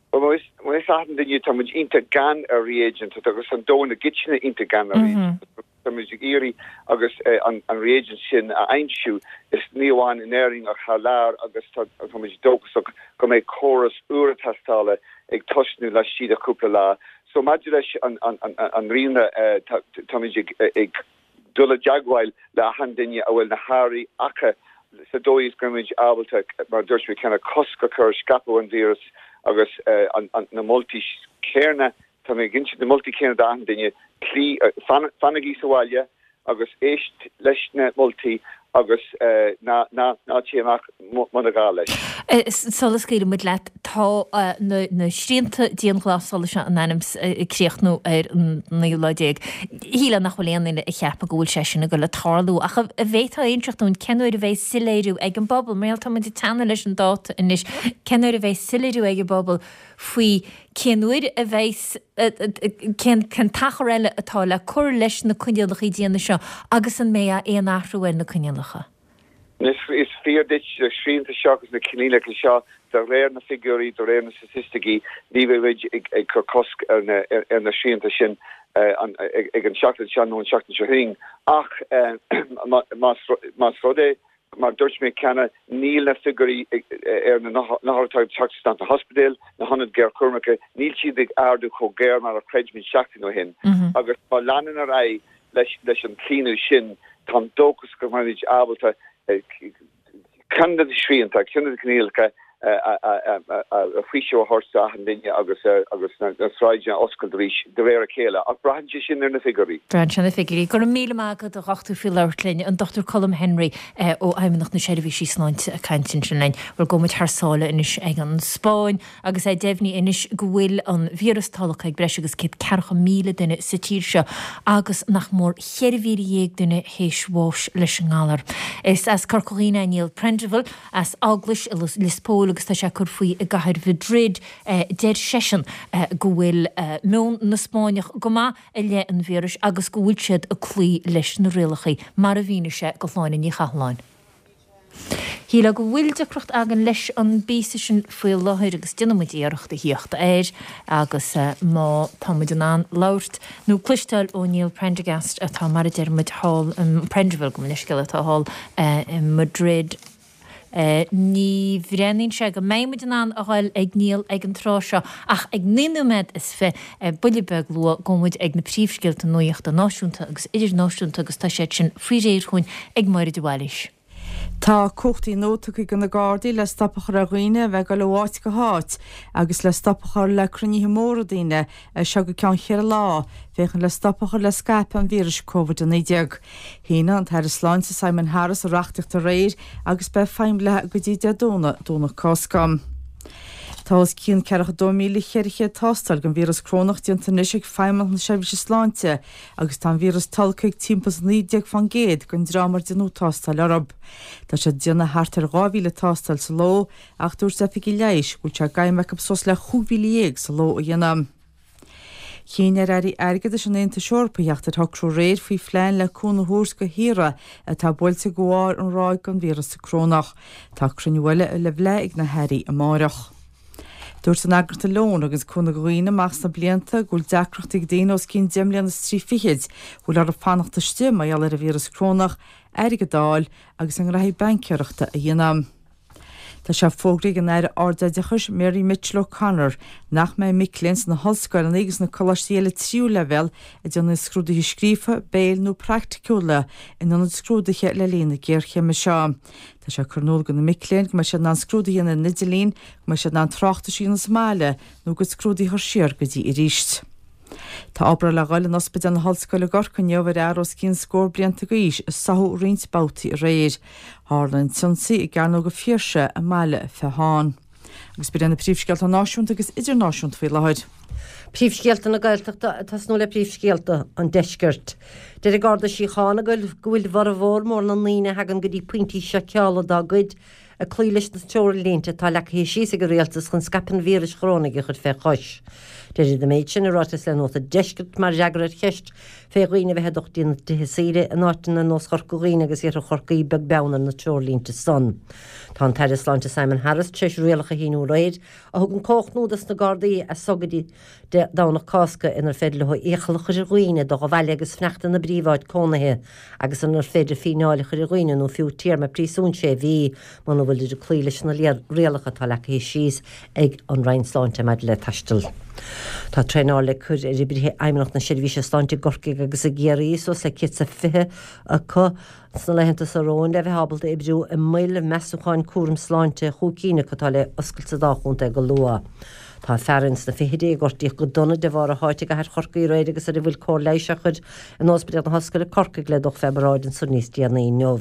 Bhuel, mar is achan duine, tá muid iontach gann ar reagent agus an domhan i gcoitinne iontach gann ar reagent. Tá muid ag iarraidh agus an reagent sin a aimsiú, is ní amháin in Éirinn ach thar lear agus tá muid dóchasach go mbeidh córas úr tástála ag tosnú laistigh de chúpla lá. So maidir leis an rianadh, tá muid ag dul i dteagmháil le achan duine a bhfuil na hairí acu sa dóigh is go mbeimid ábalta, mar a dúirt mé cheana, cosc a chur ar scaipeadh an víreas agus na moltaí céanna, tá mé ag insint na moltaí céanna d'achan duine, cloí, fanaigí sa bhaile agus éist leis na moltaí agus ná téigh amach muna gá leis. Sula scaoilfidh muid leat, tá na srianta dianghlasála seo in ainm is ag críochnú ar an naoú lá déag. Shílfeá nach bhfuil aon duine ag ceapadh go bhfuil sé sin ag dul ag tarlú, ach an bhféadfá a inseacht dúinn cén uair a bheidh soiléiriú ag an bpobal, mar gheall tá muid ag teannadh leis an dáta anois, cén uair a bheidh soiléiriú ag an bpobal faoi cén uair a bheidh, cén t-achar eile atá le cur leis na coinníollacha diana seo agus an mbeidh aon athrú ar na coinníollacha? Is fíor duit, na srianta seo agus na coinníollacha seo, de réir na figiúirí, de réir na staitisticí, ní bheidh muid ag cur cosc ar na srianta sin ag an seachtain seo nó an seachtain seo chugainn. Ach más rud é, mar a dúirt mé cheana, níl na figiúirí ar na hothair atá ag teacht isteach sna hospidéil, na hionaid ghéarchúramacha, níl siad ag ardú chomh géar mar a chreid muid seachtain ó shin. Agus má leanann ar aghaidh leis an chlaonadh sin, táim dóchasach go mbeimid ábalta ceann de na srianta, ceann de na coinníollacha a faoiseamh a thabhairt d'achan duine agus agus na sráideanna a oscailt arís de réir a chéile. Ach braitheann sé sin ar na figiúirí. Braitheann sé ar na figiúirí. Go raibh míle maith agat a dhochtúir faoi labhairt linn. An Dochtúir Colm Henry ó Fheidhmeannacht na Seirbhísí Sláinte ag caint ansin linn. Bhuel, gabhfaidh muid thar sáile anois ag an Spáinn agus é deimhnithe anois go bhfuil an víreas tolgtha ag breis agus céad ceathracha míle duine sa tír seo agus nach mór cheithre mhíle dhéag duine théis bháis leis an ngalar. Is as Corca Dhuibhne é Niall Prendiville, as Eaglais i Lios Póil agus tá sé ag cur faoi i gcathair Mhadrid. Deir seisean go bhfuil meon na Spáinneach go maith i leith an víris agus go bhfuil siad ag cloí leis na rialacha, mar a mhínigh sé do Shláine Ní Chathalláin. Shílfeá go bhfuil deacracht againn leis an bpíosa sin faoi láthair agus déanfaidh muid iarracht a thíocht air agus má tá muid in ann labhairt nó cloisteáil ó Niall Prendergast atá mar a deir muid thall, Prendeville gabh mo leithscéal atá thall i Madrid. Ní bhreathnaíonn sé go mbeidh muid in ann a ghoil ag Niall ag an tráth seo ach ag naoi nóiméad is fiche, buille beag luath, gabhfaidh muid ag na príomhscéalta nuachta náisiúnta agus idirnáisiúnta agus tá siad sin faoi réir chugainn ag Máire de Bhailís. Tá cumhachtaí nua tugtha do na Gardaí le stop a chur ar dhaoine a bheith ag dul ó áit go háit agus le stop a chur le cruinnithe móra daoine as seo go ceann cheithre lá, féachaint le stop a chur le scaipeadh an víris Covid a naoi déag. Shínigh an tAire Sláinte Simon Harris an reachtaíocht aréir agus beidh feidhm léi go dtí Dé Domhnaigh, Domhnach Cásca. Tá os cionn ceathracha dó míle cheithre chéad tástáil don víreas corónach déanta anois ag Feidhmeannacht na Seirbhíse Sláinte agus tá an víreas tolgtha ag timpeall is naoi déag fán gcéad den dream ar déanadh tástáil orthu. Tá siad ag déanamh thart ar dhá mhíle tástáil sa ló ach dúirt oifigigh leighis go bhfuil sé d'aidhm acu suas le chúig mhíle dhéag sa ló a dhéanamh. Chinn ar airí airgeadais an Aontais Eorpaigh theacht ar shocrú aréir faoi phlean le cúnamh a thabhairt do thíortha atá buailte de bharr an ráig den víreas corónach. Tá cruinniú eile le bheith ag na hairí amáireach. Dúirt an eagraíocht Alone, a thuganns cúnamh do dhaoine amach sna blianta, go bhfuil deacrachtaí ag daoine os cionn deich mbliana is trí fichid, a bhfuil orthu fanacht istigh mar gheall ar an víreas corónach, airgead a fháil agus a ngraithí baincéireachta a dhéanamh. Tá sé fógraithe ag an Aire Ardoideachais Mary Mitchell O'Connor nach mbeidh mic léinn sna hollscoileanna agus sna coláistí eile tríú leibhéal ag déanamh scrúduithe scríofa, béil nó praiticiúla in ionad scrúduithe le linn na géarchéime seo. Tá sé curtha in iúl do na mic léinn go mbeidh siad in ann scrúduithe a dhéanamh ar an idirlíon, go mbeidh siad in ann tráchtais a dhéanamh sa mbaile nó a gcuid scrúduithe a chur siar go dtí arís. Tá obráid le dhul in Ospidéal na hOllscoile i gCorcaigh inniu ar fhear os cionn scór blianta d'aois a sáthadh roinnt babhtaí aréir. Tharla an t-ionsaí i gCearnóg an Phiarsaigh i mBaile Feotháin. Agus b'in iad na príomhscéalta náisiúnta agus idirnáisiúnta faoi láthair. Príomhscéalta na Gaeltachta ag tosnú le príomhscéalta an Deiscirt. Deir an Garda Síochána go bhfuil bhformhór mór na ndaoine a thagann go dtí pointí seiceála dá gcuid ag cloí leis na treoirlínte atá leagtha síos ag an rialtas chun scaipeadh an víris chorónaigh a chur fé chois. Deir siad an méid sin i ráiteas le Nuacht an Deiscirt mar fhreagra ar cheist fé dhaoine a bheith ag dul go dtí na tithe saoire in áiteanna ar nós Chorca Dhuibhne agus Iarthar Chorcaí beag beann ar na treoirlínte san. Tá an tAire Sláinte Simon Harris tar éis rialacha a shíniú aréir a thugann cumhacht nua dos na Gardaí as so go dtí Dé Domhnach Cásca inar féidir leo iachall a chur ar dhaoine dul abhaile agus fanacht ina bpríomháit cónaithe agus inar féidir fíneáil a chur ar dhaoine nó fiú téarma príosúin sé mhí muna bhfuilid ag cloí leis na rialacha atá leagtha síos ag an Roinn Sláinte maidir le taisteal. Tá traenáil le cur ar oibrithe Fheidhmeannacht na Seirbhíse Sláinte i gCorcaigh agus i gCiarraí, suas le céad is a fiche acu, sna laethanta seo romhainn le bheith ábalta oibriú i moil measúcháin cúram sláinte, chúig cinn acu atá le oscailt sa dá chontae go luath. Tá fear ins na fichidí a gortaíodh go dona de bharr a sháite i gcathair Chorcaí aréir agus ar a bhfuil cóir leighis á chur in Ospidéal na hOllscoile Corcaigh le dul fé bhráid ansan níos déanaí inniu.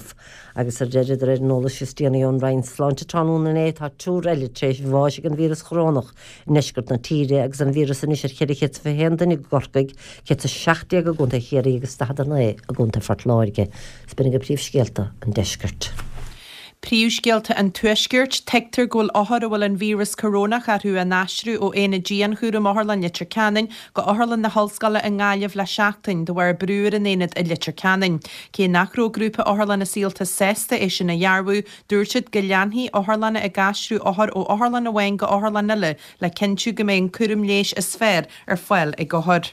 Agus ar deireadh, de réir an eolais is déanaí ón Roinn Sláinte tráthnóna inné, tá triúr eile tar éis bháis ag an víreas chorónach i ndeisceart na tíre agus an víreas anois ar cheithre chéad is fiche haon duine i gCorcaigh, céad is a seacht déag i gContae Chiarraí agus daichead a naoi i gContae Phort Láirge. Is b'in agaibh príomhscéalta an deiscirt. Príomhscéalta an Tuaiscirt, Tuigtear go bhfuil othair a bhfuil an víreas corónach orthu á n-aistriú ó Aonad Dianchúraim Otharlann Leitir Ceanainn go Otharlann na hOllscoile i nGaillimh le seachtain de bharr brú ar an aonad i Leitir Ceanainn. Cé nach raibh Grúpa Otharlanna Saolta sásta é sin a dhearbhú, dúirt siad go leanfaidh otharlanna ag aistriú othar ó otharlann amháin go otharlann eile le cinntiú go mbeidh an cúram leighis is fearr ar fáil ag othair.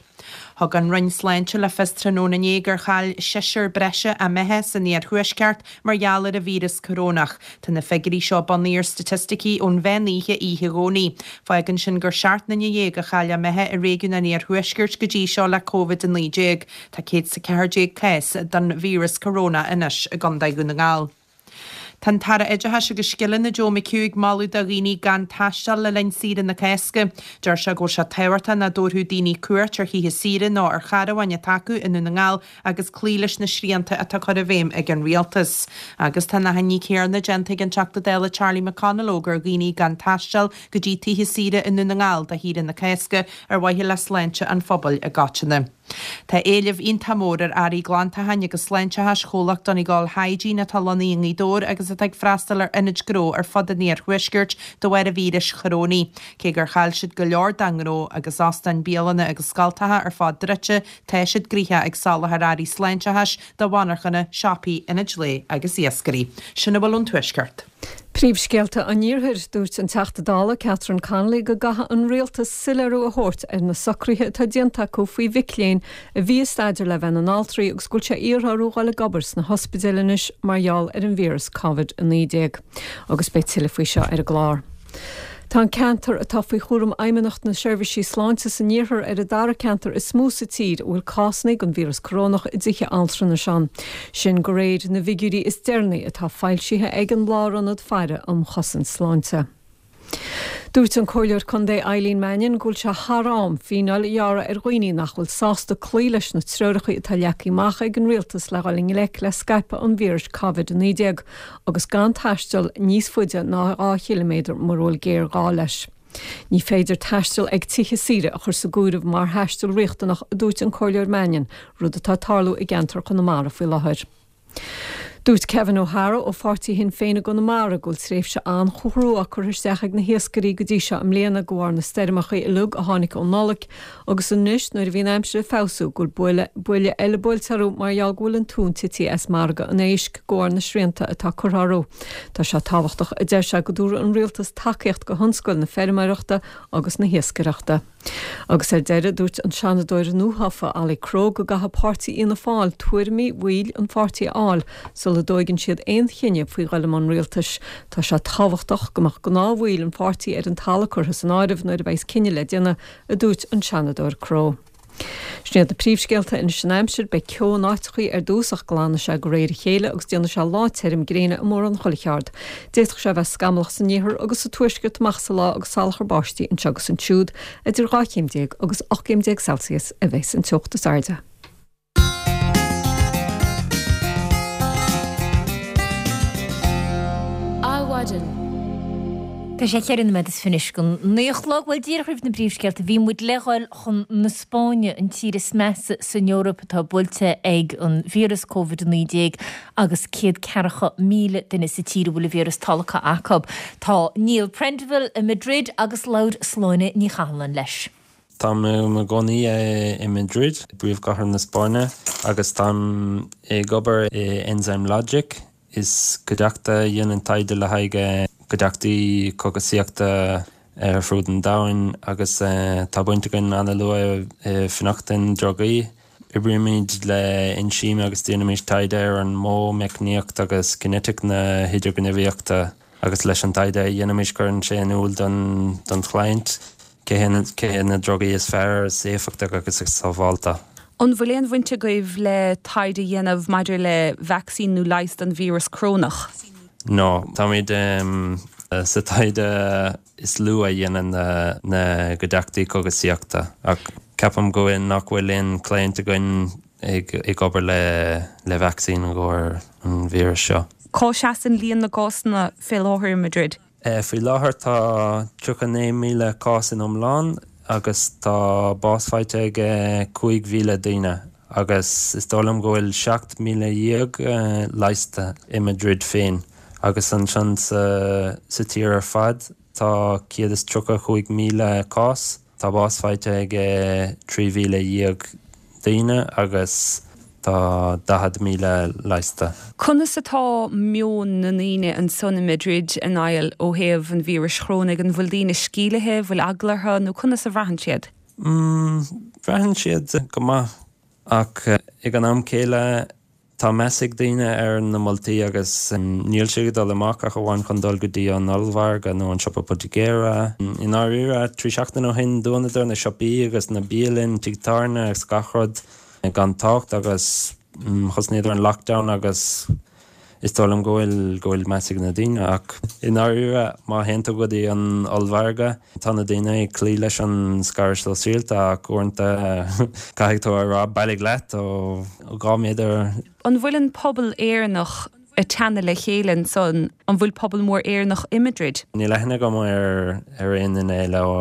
Thug an Roinn Sláinte le fios tráthnóna inné gur chaill seisear breise a mbeatha san iarthuaisceart mar gheall ar an víreas corónach. Tá na figiúirí seo bunaithe ar staitisticí ón mheán oíche oíche Dhomhnaigh. Fágann sin gur seacht nduine dhéag a chaill a mbeatha i réigiún an iarthuaiscirt go dtí seo le Covid a naoi déag. Tá céad is a ceathair déag cás den víreas corónach anois i gContae Dhún na nGall. Tá an tAire Oideachais agus Scileanna Joe McHugh ag moladh do dhaoine gan taisteal le linn saoire na Cásca. Deir sé go bhfuil sé tábhachtach nach dtabharfadh daoine cuairt ar thithe saoire nó ar charabháin atá acu i nDún na nGall agus cloí leis na srianta atá curtha i bhfeidhm ag an Rialtas. Agus tá an achainí chéanna déanta ag an Teachta Dála Charlie McConalogue ar dhaoine gan taisteal go dtí tithe saoire i nDún na nGall do shaoire na Cásca ar mhaithe le sláinte an phobail i gcoitinne. Tá éileamh iontach mór ar earraí glantacháin agus sláinteachais chomhlacht Donegal Hygiene atá lonnaithe i nGaoth Dobhair agus atá ag freastal ar ionaid gnó ar fud an iarthuaiscirt de bharr an víris chorónaigh. Cé gur chaill siad go leor dá ngnó agus óstáin, bialanna agus scoltacha ar fad druidte, tá siad gnoitheach ag soláthar earraí sláinteachais do mhonarchana, siopaí, ionaid lae agus iascairí. Sin a bhfuil ón Tuaisceart. Príomhscéalta an Iarthair, Dúirt an Teachta Dála Catherine Connolly go gcaithfidh an Rialtas soiléiriú a thabhairt ar na socruithe atá déanta acu faoi mhic léinn a bhí ag staidéar le bheith ina n-altraí agus go bhfuil sé iarrtha orthu dhul ag obair sna hospidéil anois mar gheall ar an víreas Covid a naoi déag. Agus beidh tuilleadh faoi seo ar an gclár. Tá an ceantar atá faoi chúram Fheidhmeannacht na Seirbhísí Sláinte san Iarthar ar an dara ceantar is mó sa tír a bhfuil cásanna den víreas corónach i dtithe altranais ann. Sin de réir na bhfigiúirí is deireanaí atá foilsithe ag an Lárionad Faire um Chosaint Sláinte. Dúirt an Comhairleoir Contae Eileen Mannion go bhfuil sé thar am fíneáil a ghearradh ar dhaoine nach bhfuil sásta cloí leis na treoracha atá leagtha amach ag an rialtas le dhul i ngleic le scaipeadh an víris Covid a naoi déag agus gan taisteal níos faide ná dhá chiliméadar mura bhfuil géarghá leis. Ní féidir taisteal ag tithe saoire a chur sa gcomhaireamh mar thaisteal riachtanach, a dúirt an Comhairleoir Mannion, rud atá ag tarlú i gceantar Chonamara faoi láthair. Dúirt Kevin O'Hara ó pháirtí Shinn Féin i gConamara go bhfuil tréimhse an-chrua curtha isteach ag na hiascairí go dtí seo i mbliana de bharr na stoirmeacha uilig a tháinig ón Nollaig agus anois nuair a bhí an aimsir ag feabhsú go bhfuil buille eile buailte orthu mar gheall go bhfuil an tonn tite as margadh an éisc de bharr na srianta atá curtha orthu. Tá sé tábhachtach, a deir sé, go dtabharfadh an rialtas tacaíocht do thionscal na feirmeoireachta agus na hiascaireachta. Agus ar deireadh, dúirt an Seanadóir nuathofa Ollie Crowe go gcaithfidh páirtí Fhianna Fáil tuairimí bhaill an pháirtí a fháil sula dtóigeann siad aon chinneadh faoi dhul i mbun rialtais. Tá sé tábhachtach go mbeadh gnáthbhaill an pháirtí ar an talamh curtha san áireamh nuair a bheas cinneadh le déanamh, a dúirt an Seanadóir Crowe. Sin iad na príomhscéalta anois an aimsir, beidh ceo in áiteachaí ar dtús ach glanfaidh sé de réir a chéile agus déanfaidh sé lá tirim gréine i mórán chuile cheard. D'fhéadfadh sé a bheith scamallach san iarthar agus sa tuaisceart amach sa lá agus salachar báistí anseo agus ansiúd. Idir dhá chéim déag agus ocht gcéim déag Celsius a bheas an teocht is airde. Adhmhaidin. Tá sé cheithre nóiméad is fiche anois go naoi a chlog. Bhuel, díreach roimh na bpríomhscéalta, bhí muid le dhul chun na Spáinne, an tír is measa san Eoraip atá buailte ag an víreas Covid a naoi déag agus céad ceathracha míle duine sa tír a bhfuil an víreas tolgtha acu. Tá Niall Prendeville i Madrid agus labhair Sláine Ní Chathalláin leis. Táim i mo chónaí i Madrid, príomhchathair na Spáinne, agus táim ag obair i Enzymlogic. Is cuideachta a dhéanann taighde le haghaidh cuideachtaí cógaisíochta ar fud an domhain agus tá baint againn an-luath i bhfionnachtain drugaí. Oibrímid le einsím agus déanaimid taighde ar an modh, meicníocht agus cinetic na hidirghníomhaíochta agus leis an taighde a dhéanaimid cuireann sé in iúl don chliant cé hiad na drugaí is fearr, is éifeachtach agus is sábháilte. An bhfuil aon bhaint agaibh le taighde a dhéanamh maidir le vacsaín nó leigheas don víreas corónach? No. Táimid sa taighde is lú a dhéanann na gcuideachtaí cógaisíochta ach ceapaim go bhfuil nach bhfuil aon client againn ag obair le vacsaín i gcomhair an víreas seo. Cá seasann líon na gcásanna fé láthair i Madrid? Faoi láthair tá tríocha naoi míle cás in iomlán agus tá bás faighte ag cúig mhíle daoine agus is dóigh liom go bhfuil seacht míle dhéag leigheasta i Madrid féin agus ansin sa tír ar fad tá céad is tríocha cúig míle cás. Tá bás faighte ag trí mhíle dhéag daoine agus tá daichead míle leigheasta. Conas atá meon na ndaoine ansan i Madrid, a Niall, ó thaobh an víris chorónaigh? An bhfuil daoine sceimhlithe, bhfuil eagla orthu nó conas a bhraitheann siad? Braitheann siad go maith ach ag an am céile Tá meas ag daoine ar na moltaí agus níl siad ag dul amach ach amháin chun dul go dtí an ollmhargadh nó an siopa poitigéara. I ndáiríre, trí seachtaine ó shin dhúnadar na siopaí agus na bialanna, tigh tábhairne agus gach rud gan trácht agus thosnaíodar an lockdown agus is dóigh liom go bhfuil go bhfuil meas ag na daoine ach i ndáiríre má théann tú go dtí an ollmhargadh tá na daoine ag cloí leis an scaradh sóisialta ach uaireanta caithfidh tú a rá bailigh leat ó dhá méadar. An bhfuil an pobal Éireannach ag teannadh le chéile ansan? An bhfuil pobal mór Éireannach i Madrid? Níl aithne agam ar ar aon duine eile ó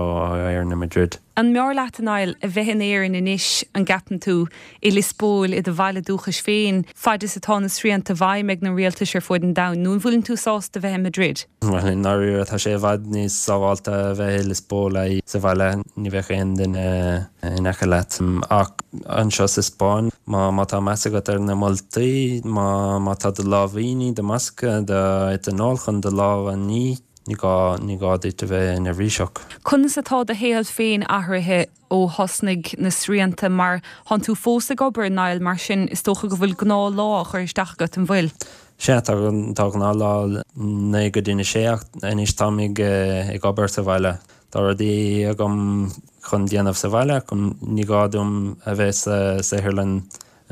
Éirinn i Madrid. An mb'fhearr leat, a Niall, a bheith in Éirinn anois, an gceapann tú, i Lios Póil, i do bhaile dúchais féin, fad is atá na srianta i bhfeidhm ag na rialtais ar fud an domhain, nó an bhfuileann tú sásta bheith i Madrid? Bhuel, i ndáiríre, tá sé i bhfad níos sábháilte a bheith i Lios Póil sa bhaile, ní bheadh aon duine in aice leat. Ach anseo sa Spáinn, má má tá meas agat ar na moltaí, má má tá do lámhainní, do mhasca, do eiteanól chun do lámha a ní, Ní gá, ní gá duit a bheith neirbhíseach. Conas atá do shaol féin athraithe ó thosnaigh na srianta mar thánn tú fós ag obair, Niall, mar sin is dócha go bhfuil gnáthlá á chur isteach agat, an bhfuil? Sea, tá, tá gnáthlá naoi go dtí a sé ach anois táim ag, ag obair sa bhaile. Tá rudaí agam chun déanamh sa bhaile, ní gá dom a bheith sa saotharlann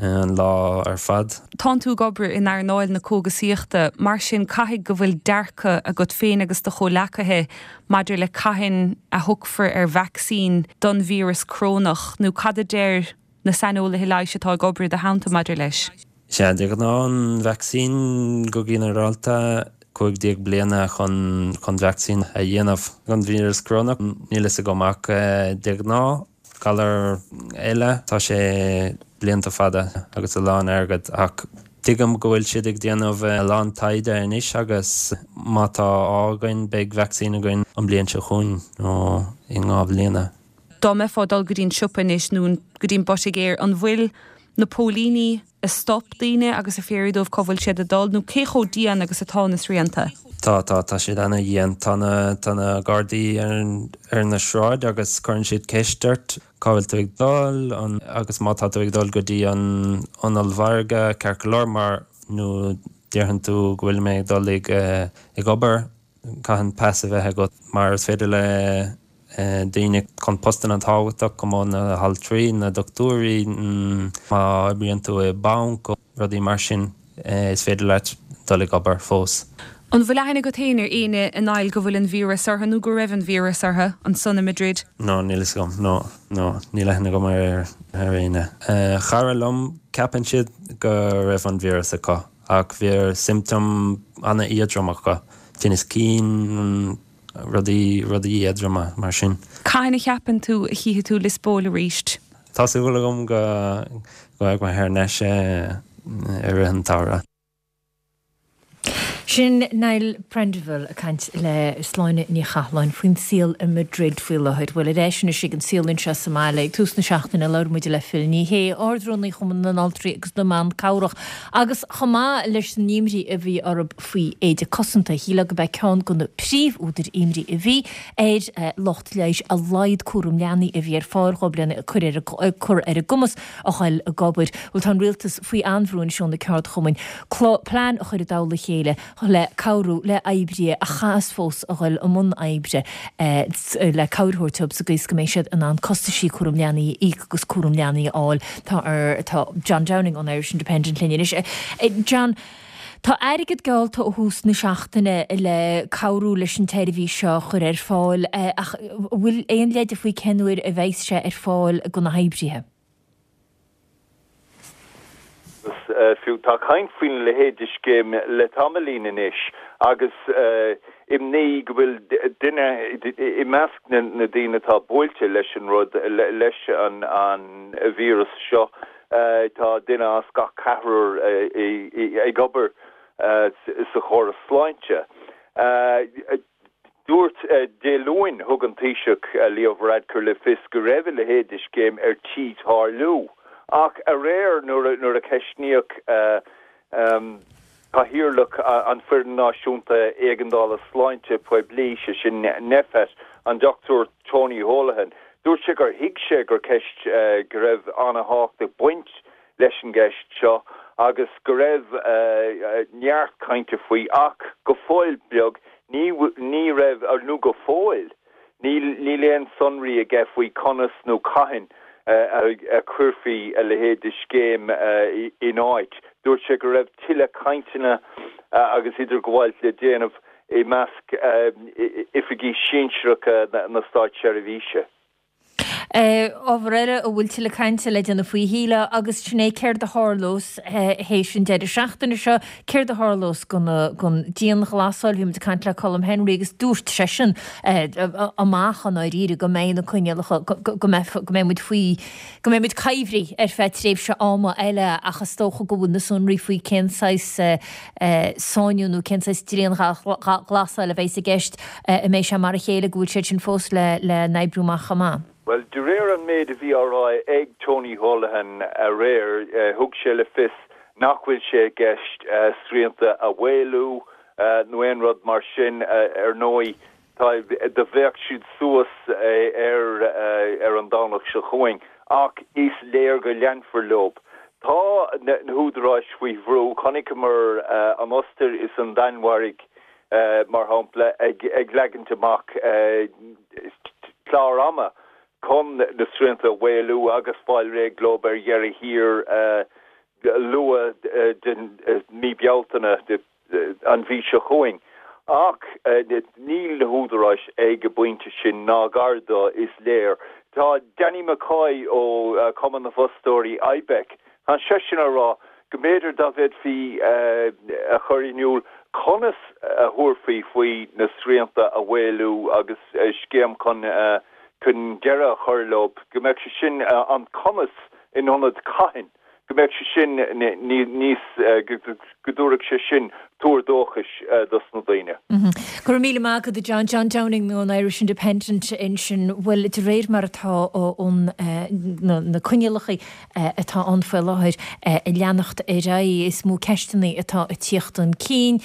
an lá ar fad. Tánn tú ag obair in earnáil na cógasaíochta, mar sin caithfidh go bhfuil dearcadh agat féin agus do chomhleacaithe maidir le cathain a thiocfar ar vacsaín don víreas corónach, nó cad a deir na saineolaithe leighis atá ag obair i do theannta maidir leis? Sea, de ghnáth an vacsaín go ginearálta, cúig déag bliana chun chun vacsaín a dhéanamh don víreas corónach, níl a fhios agam ach de ghnáth, Galar eile, tá sé blianta fada agus a lán airgead ach tuigim go bhfuil siad ag déanamh a lán taighde anois agus má tá ádh againn beidh vacsaín againn an bliain seo chugainn nó i ndhá bhliana. Dá mbeifeá ag dul go dtí an siopa anois nó go dtí an poitigéir, an bhfuil na póilíní a stop daoine agus ag fiafraí dóibh cá bhfuil siad ag dul nó cé chomh dian agus atá na srianta? Tá, tá, tá siad ana-dhian. Tá na, tá na Gardaí ar, ar na sráid agus cuireann siad ceist ort cá bhfuil tú ag dul, an, agus má tá tú ag dul go dtí an, an ollmhargadh, ceart go leor mar, nó déarfaidh tú go bhfuil mé ag dul ag, ag obair, caitheann pas a bheith agat mar is féidir le daoine chun postanna tábhachtach chomh maith na haltraí, na dochtúirí, má oibríonn tú i banc, rudaí mar sin, is féidir leat dul ag obair fós. An bhfuil aithne agat féin ar éinne a Niall go bhfuil an víreas orthu nó go raibh an víreas orthu ansan i Madrid? No, níl fhios agam. No, no, níl aithne agam ar ar éinne. Chara liom, ceapann siad go raibh an víreas acu ach bhí symptom an-éadrom acu, tinneas cinn, rudaí, rudaí éadroma mar sin. Cathain a cheapann tú a chífidh tú Lios Póil arís? Tá súil agam go go mbeidh mé thar n-ais i rith an tsamhraidh. Sin Niall Prendiville ag caint le Sláine Ní Chathalláin faoin saol i Madrid faoi láthair. Bhuel, ar ais anois ag an saol anseo sa mbaile. Ag tús na seachtaine labhair muid le Phil Ní Sheaghdha, Ard-Rúnaí Chumann na nAltraí agus na mBan Cabhrach, agus chomh maith leis an imní a bhí orthu faoi éide cosanta, shílfeá gurb é ceann de na príomhúdair imní a bhí ar lucht leighis a laghad cúram leanaí a bhí ar fáil dhóibh lena cur ar a gcumas a ghoil ag obair. Bhuel, tá an rialtas faoi an-bhrú anois ó na ceardchumainn plean a chur i dtoll a chéile le cabhrú le oibrithe a chaithfeas fós a ghoil i mbun oibre le cabhair a thabhairt dóibh sa gcaoi is go mbeidh siad in ann costaisí cúram leanaí a íoc agus cúram leanaí a fháil. Tá ar tá John Downing ón Irish Independent linn anois. John, Tá airgead geallta ó thús na seachtaine le cabhrú leis an tseirbhís seo a chur ar fáil ach an bhfuil aon leide faoi cén uair a bheas sé ar fáil do na hoibrithe? Agus fiú tá caint faoina leithéid de scéim le tamaillín anois agus imní go bhfuil duine i measc na daoine atá buailte leis an rud, leis an víreas seo, tá duine as gach ceathrar ag obair sa chóras sláinte. Dúirt Dé Luain, thug an Taoiseach Leo Varadkar le fios go raibh a leithéid de scéim ar tí tarlú. Ach aréir nuair a ceistníodh Cathaoirleach an Foireann Náisiúnta Éigeandála Sláinte Poiblí, sé sin Nphet, an Dochtúir Tony Holohan, dúirt sé gur thuig sé gur ceist go raibh an-thábhacht ag baint leis an gceist seo agus go raibh neart cainte faoi ach go fóill beag ní ní raibh nó go fóill níl níl aon sonraí aige faoi conas nó cathain a chuirfí a leithéid de scéim in áit. Dúirt sé go raibh tuilleadh cainteanna agus idirghabháil le déanamh i measc oifigigh sinsearacha na státseirbhíse. Ábhar eile a bhfuil tuilleadh cainte le déanamh faoi shílfeá agus sin é céard a tharlós théis an deireadh seachtaine seo, céard a tharlós gon dianghlasáil. Bhí muid ag caint le Colm Henry agus dúirt seisean amach i ndáiríre go mbeidh na coinníollacha, go mbeidh muid faoi, go mbeidh muid coimhthí ar feadh tréimhse ama eile ach is dócha go bhfuil na sonraí faoi cén saghas sáinniú nó cén saghas dianghlasáil a bheas i gceist, an mbeidh sé mar a chéile, go bhfuil siad sin fós le n-oibriú amach chomh maith. Bhuel, de réir an méid a bhí á rá ag Tony Holohan aréir, thug sé le fios nach bhfuil sé i gceist srianta a mhaolú nó aon rud mar sin. Ar ndóigh, do bheadh siad suas ar ar an Domhnach seo chugainn ach is léir go leanfar leo. Tá na húdaráis faoi bhrú. Chonaiceamar an Ostair is an Danmhairg, mar shampla, ag leagaint amach clár ama chun na srianta a mhaolú agus fáil réidh leo ar dheireadh thiar luath den mí Bealtaine, an mhí seo chugainn. Ach níl na húdaráis ag an bpointe sin ná gar dó, is léir. Tá Danny McCoy ó Chumann na bhFostóirí, IBEC, tá seisean á rá go mb'fhéidir dá bhféadfaí a chur in iúl conas a thabharfaí faoi na srianta a mhaolú agus scéim chun chun deireadh a chur leo, go mbeadh sé sin an conas in ionad cathain, go mbeadh sé sin níos, go dtabharfadh sé sin tuar dóchais dos na daoine. Go raibh míle maith agat, a John. John Downing ón Irish Independent ansin. Bhuel, de réir mar atá na coinníollacha atá ann faoi láthair ag leanacht ar aghaidh, is mó ceisteanna atá ag tíocht chun cinn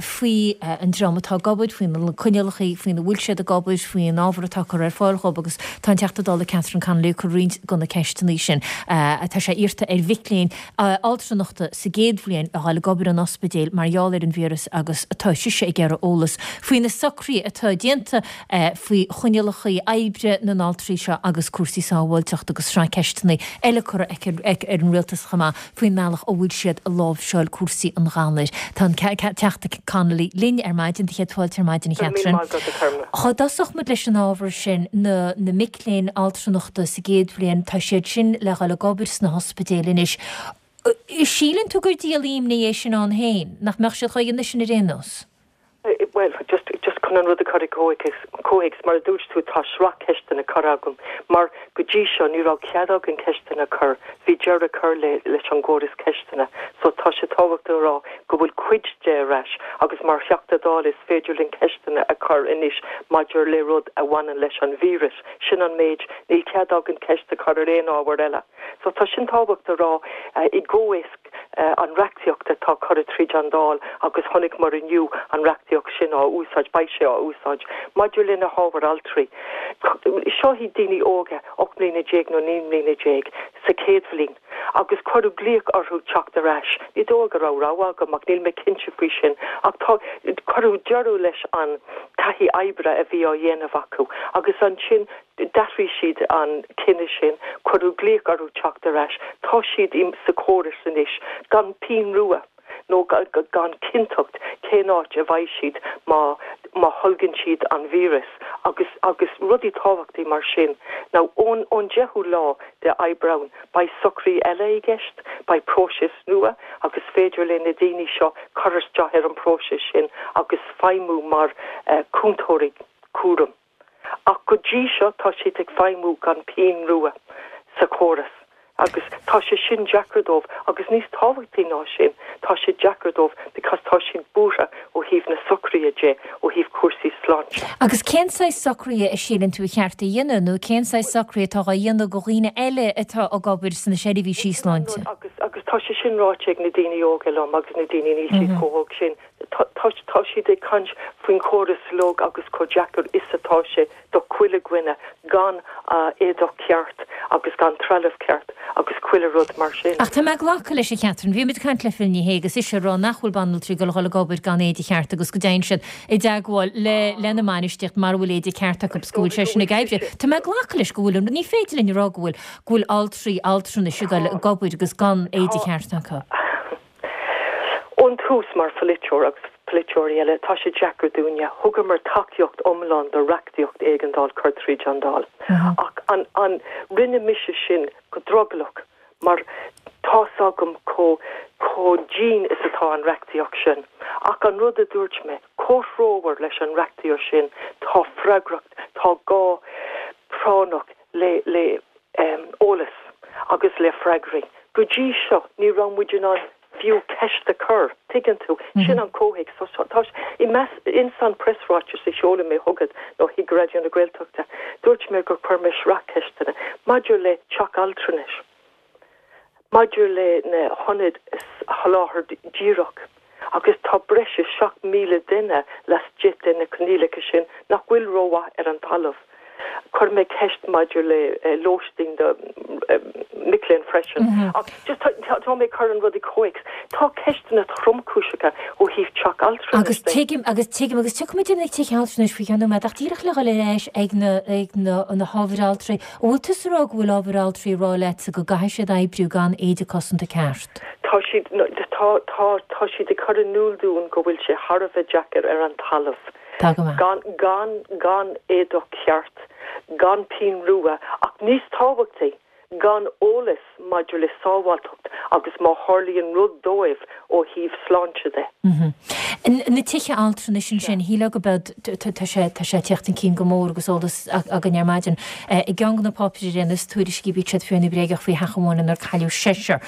faoi an dream atá ag obair, faoi na coinníollacha faoina bhfuil siad ag obair, faoin ábhar atá curtha ar fáil dhóibh agus tá an Teachta Dála Catherine Connolly ag cur roinnt de na ceisteanna sin. Tá sé iarrta ar mhic léinn altranachta sa gcéad bhliain a dhul ag obair in ospidéil mar gheall ar an víreas agus tá sise ag iarraidh eolas faoi na socruithe atá déanta faoi choinníollacha oibre na n-altraí seo agus cúrsaí sábháilteachta agus sraith ceisteanna eile curtha aici ar an rialtas chomh maith faoin mbealach a bhfuil siad ag láimhseáil cúrsaí an ghalair. Tá an Teachta Connolly linn ar maidin, do chéad fáilte ar maidin a Chatherine. Dhá dtosódh muid leis an ábhar sin, na na mic léinn altranachta sa gcéad bhliain, tá siad sin le dhul ag obair sna hospidéil anois. Síleann tú gur díol imní é sin ann féin, nach mbeadh siad dhá dhéanamh sin ar aon nós? Bhuel, just, just chun an rud a chur i gcomhthéacs, mar a dúirt tú, tá sraith ceisteanna curtha agam, mar go dtí seo ní raibh cead againn ceisteanna a chur, bhí deireadh curtha le, leis an gcóras ceisteanna. So tá sé tábhachtach a rá go bhfuil cuid de ar ais agus mar Theachta Dála is féidir linn ceisteanna a chur anois maidir le rud a bhaineann leis an víreas. Sin an méid, níl cead againn ceist a chur ar aon ábhar eile. So tá sin tábhachtach a rá i gcomhthéacs an reachtaíocht atá curtha tríd an Dáil agus chonaiceamar inniu an reachtaíocht sin á úsáid, beidh sé á úsáid maidir le na hábhair altraí. Seo iad daoine óga, ocht mbliana déag nó naoi mbliana déag, sa chéad bhliain agus cuireadh glaoch orthu teacht ar ais. Ní dóigh go raibh rogha acu ach níl mé cinnte faoi sin ach tá, cuireadh deireadh leis an taithí oibre a bhí á dhéanamh acu agus ansin D'athraigh siad an cinneadh sin, cuireadh glaoch orthu teacht ar ais. Tá siad sa chóras anois gan pinn rua nó gan cinnteacht cén áit a bheidh siad má má tholgann siad an víreas agus agus rudaí tábhachtaí mar sin. Now ón ón deichiú lá de Aibreán beidh socruithe eile i gceist, beidh próiseas nua agus féidir le na daoine seo cur isteach ar an bpróiseas sin agus feidhmiú mar chúntóirí cúraim. Ach go dtí seo tá siad ag feidhmiú gan pinn rua sa chóras agus tá sé sin deacair dóibh agus níos tábhachtaí ná sin, tá sé deacair dóibh because tá siad buartha ó thaobh na socruithe de, ó thaobh cúrsaí sláinte. Agus cén saghas socruithe a síleann tú a cheart a dhéanamh nó cén saghas socruithe atá á dhéanamh do dhaoine eile atá ag obair sna seirbhísí sláinte? Agus agus tá sé sin ráite ag na daoine óga liom agus na daoine níl siad chomh hóg sin. Tá siad ag caint faoin chóras uilig agus chomh deacair is atá sé do chuile dhuine gan éadach ceart agus gan trealamh ceart agus chuile rud mar sin. Ach tá mé ag glacadh leis, a Chatherine, bhí muid ag caint le Phil Ní Sheaghdha agus ise ag rá nach bhfuil banaltraí ag dul a dhul ag obair gan éide cheart agus go dtéann siad i dteagmháil le lena mbainistíocht mara bhfuil éide ceart acu agus go bhfuil sé sin ag oibriú. Tá mé ag glacadh leis go bhfuil an, ní féidir linn a rá go bhfuil go bhfuil altraí altranais ag dul ag obair agus gan éide cheart acu. Ón tús mar pholaiteoir agus. polaiteoirí eile, tá sé deacair dúinne. Thugamar tacaíocht iomlán do reachtaíocht éigeandáil cur tríd an Dáil. Ach an, an, rinne mise sin go drogallach mar tá's agam chomh, chomh dian is atá an reachtaíocht sin. Ach an rud a dúirt mé, comhthreomhar leis an reachtaíocht sin tá freagracht, tá gá práinneach le, le eolas agus le freagraí. Go dtí seo ní raibh muid in ann fiú ceist a chur, tuigeann tú? Sin an comhthéacs. So tá i measc, ins an preasráiteas a sheol mé chugat nó chuig Raidió na Gaeltachta, dúirt mé gur chuir mé sraith ceisteanna maidir le teach altranais, maidir le na hionaid sholáthar díreach, agus tá breis is seacht míle duine laistigh de na coinníollacha sin nach bhfuil rómhaith ar an talamh. Chuir mé ceist maidir le lóistín do mic léinn freisin. Ach just tá mé ag cur an rud i gcomhthéacs. Tá ceisteanna tromchúiseacha ó thaobh teach altranais Agus de. tuigim, agus tuigim, agus tiocfaimid ag teach altranais faoi cheann nóiméad, ach díreach le dhul ar ais ag na, ag na, na hábhair altraí, an bhfuil tusa ag rá go bhfuil ábhair altraí ag rá leatsa go gcaithfidh siad oibriú gan éide cosanta ceart? Tá siad, tá, tá, tá siad ag cur in iúl dúinn go bhfuil sé thar a bheith deacair ar an talamh. Tá go maith. Gan, gan, gan éadach ceart, gan pinn rua, ach níos tábhachtaí, gan eolas maidir le sábháilteacht agus má tharlaíonn rud dóibh ó thaobh sláinte de. Na tithe altranais ansin, shílfeá go bead, tá sé, tá sé ag teacht chun cinn go mór agus eolas againn ar maidin. I gceann de na páipéirí ar aon nós, tuairiscí, bíodh siad fíor nó bréagach faoi theach amháin inar cailleadh seisear.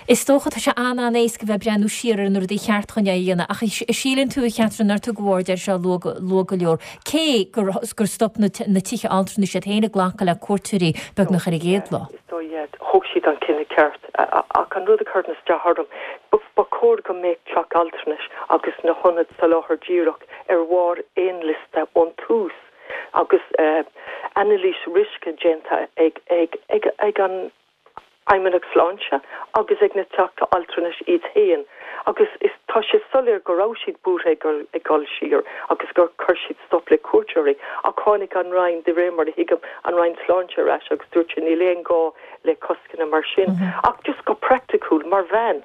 Is dócha, tá sé an-an-éasca bheith ag breathnú siar ar na rudaí cheart chun é a dhéanamh, ach síleann tú, a Chatherine, nár tugadh aird air seo luath luath go leor, cé gur gur stop na na tithe altranais iad féin ag glacadh le cuairteoirí beagnach ar an gcéad lá. Is dóigh, yeah, thóg siad an cinneadh ceart, ach an rud a chuireann isteach orm, ba chóir go mbeadh teach altranais agus na hionaid soláthair díreach ar bharr aon liosta ón tús agus anailís riosca déanta ag ag ag ag an Fheidhmeannacht Sláinte agus ag na teach altranais iad féin agus is tá sé soiléir go raibh siad buartha ag dul ag dul siar agus gur chuir siad stop le cuairteoirí ach tháinig an Roinn, de réir mar a thuigim, an Roinn Sláinte ar ais agus dúirt sé níl aon gá le coscanna mar sin. Ach just go praiticiúil, mar bhean,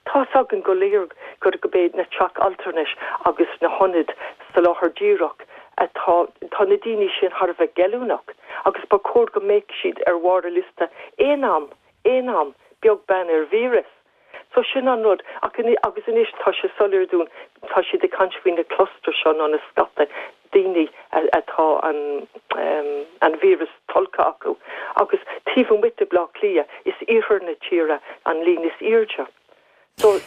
tá's againn go léir gur go b'é na teach altranais agus na hionaid soláthair díreach atá tá na daoine sin thar a bheith geilleagrach agus ba chóir go mbeadh siad ar bharr a liosta aon am, aon am, beag beann ar víreas. So sin an rud. Ach agus anois tá sé soiléir dúinn, tá siad ag caint faoi na clusters seo nó na scata daoine atá an an víreas tolgtha acu. Agus taobh amuigh de Bhleá Cliath, is iarthar na tíre an líon is airde. So.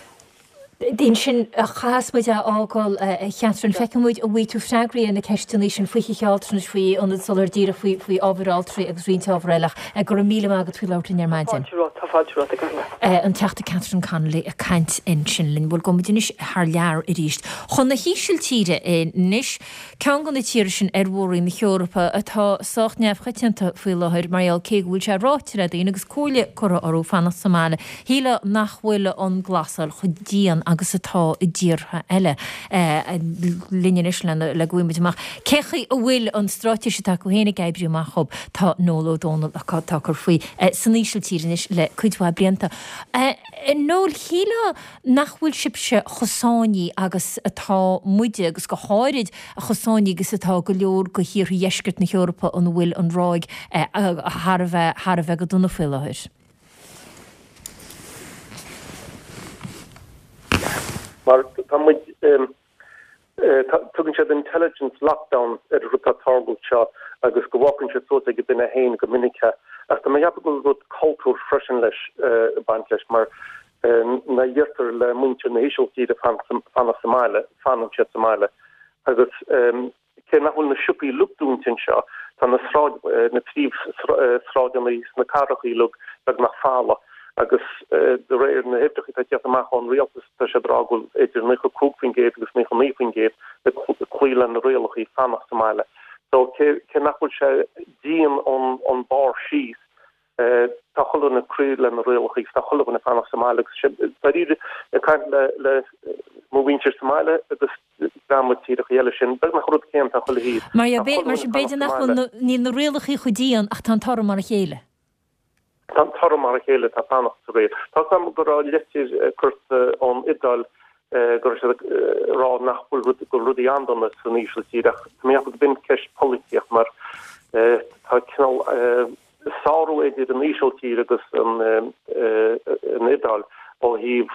Ansin a chaithfeas muid a fhágáil, a Chatherine. Feicfidh muid an bhfaighidh tú freagraí ar na ceisteanna sin faoi thithe altranais, faoi ionaid soláthair díreach, faoi faoi ábhair altraí agus roinnt ábhar eile. Ach go raibh míle maith agat faoi labhairt linn ar maidin. Tá fáilte romhat, tá fáilte romhat, go raibh maith. An Teachta Catherine Connolly ag caint ansin linn. Bhuel, gabhfaidh muid anois thar lear arís chun na hÍsiltíre anois. Ceann de na tíortha sin ar mhór-roinn na hEorpa atá sách neamhchoitianta faoi láthair mar gheall cé go bhfuil sé ráite le daoine agus comhairle curtha orthu fanacht sa mbaile, shílfeá nach bhfuil an glasáil chomh dian agus atá i dtíortha eile. Linn anois le go bhfaighidh muid amach cé chaoi a bhfuil an straitéis atá acu féin ag oibriú amach dhóibh, tá Noel Ó Dónaill atá ag cur faoi san Ísiltír anois le cuid mhaith blianta. Noel, shílfeá nach bhfuil sibhse chomh sáinnithe agus atá muide, agus go háirid chomh sáinnithe agus atá go leor de thíortha dheisceart na hEorpa ina bhfuil an ráig thar a bheith thar a bheith go dona faoi láthair. Mar tá muid, tugann siad intelligent lockdown ar an rud atá ag tarlú seo agus go bhfágann siad suas ag an duine féin go minic é. Ach tá mé ag ceapadh go bhfuil rud cultúir freisin leis, ag baint leis mar nuair a deirtear le muintir na hÍsiltíre fanacht sa mbaile, fanann siad sa mbaile. Agus cé nach bhfuil na siopaí uilig dúnta anseo, tá na sráid, na príomhshráideanna sna cathracha uilig beagnach folamh. Agus de réir na huimhreacha atá ag teacht amach ón rialtas, tá siad ag rá go bhfuil idir naocha cúig faoin gcéad agus naocha naoi faoin gcéad ag cloí le na rialacha fanacht sa mbaile. So cé nach bhfuil sé dian ón barr síos, tá chuile dhuine ag cloí le na rialacha agus tá chuile dhuine ag fanacht sa mbaile agus dáiríre ag caint le le mo mhuintir sa mbaile agus dream i dtíortha eile sin beagnach an rud céanna tá chuile thaobh. Mar mar sin b'fhéidir nach bhfuil níl na rialacha chomh dian ach tá an toradh mar a chéile. Tá an toradh mar a chéile, tá fanacht sa riail. Tá 's agam go raibh litir curtha ón Iodáil go raibh siad ag rá nach bhfuil rud, go bhfuil rudaí an-dona san Ísiltír ach tá mé ag ceapadh go b'in ceist polaitíocht mar tá cineál sárú idir an Ísiltír agus an an Iodáil ó thaobh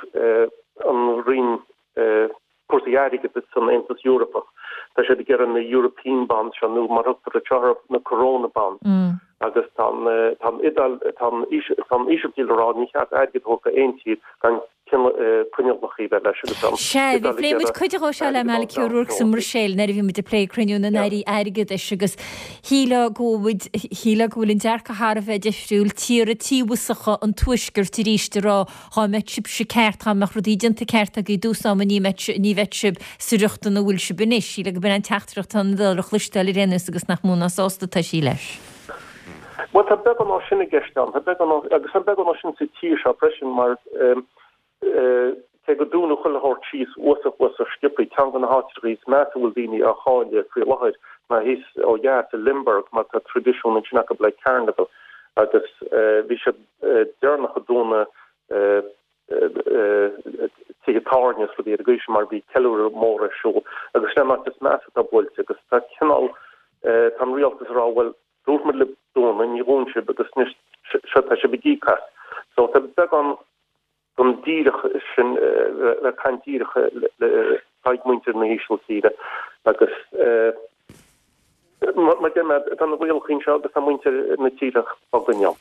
an roinn cúrsaí airgeadais san Aontas Eorpach. Tá siad ag iarraidh na European Bonds seo nó mar thugtar orthu na Corona Bonds agus tá an tá an Iodáil tá an tá an Ísiltír ag rá ní cheart airgead a thabhairt go aon tír gan coinníollacha a bheith leis agus an Sea, bhí phlé muid cuid dhó seo le Malachy O'Rourke sa mBruiséil nuair a bhí muid ag plé cruinniú na n-airí airgeadais agus shílfeá go bhfuil shílfeá go bhfuil an dearcadh thar a bheith difriúil, tíortha tíobhasacha an tuaiscirt arís ag rá dhá mbeadh sibhse ceart, dhá mbeadh rudaí déanta ceart agaibh i dtús ama ní mbeadh ní bheadh sibh sa riocht ina bhfuil sibh anois. Shílfeá go b'in an teachtaireacht atá an Iodáil a chloisteáil ar aon nós agus nach mó ná sásta atá sí leis. Bhuel tá beagán dó sin i gceist ann, tá beagán agus tá beagán dó sin sa tír seo freisin mar cé go dúnadh chuile shórt síos uafásach uafásach sciobtha, ceann de na háiteacha is measa a bhfuil daoine á chailleadh faoi láthair ná thíos ó dheas i Limburg mar tá traidisiún ansin acu le carnival agus bhí siad deireanach ag dúnadh tithe tábhairne is rudaí ar an gcaoi sin mar bhí ceiliúradh mór ar siúl agus sin an áit is measa atá buailte agus tá cineál tá an rialtas ag rá bhuel dúirt muid libh dúnadh ní dhún sibh agus anois seo tá sibh ag íoc as. So tá beagán den díreach sin le caint díreach le haghaidh muintir na hÍsiltíre agus mar deir mé tá na rialacha anseo agus tá muintir na tíre á gcoinneáil.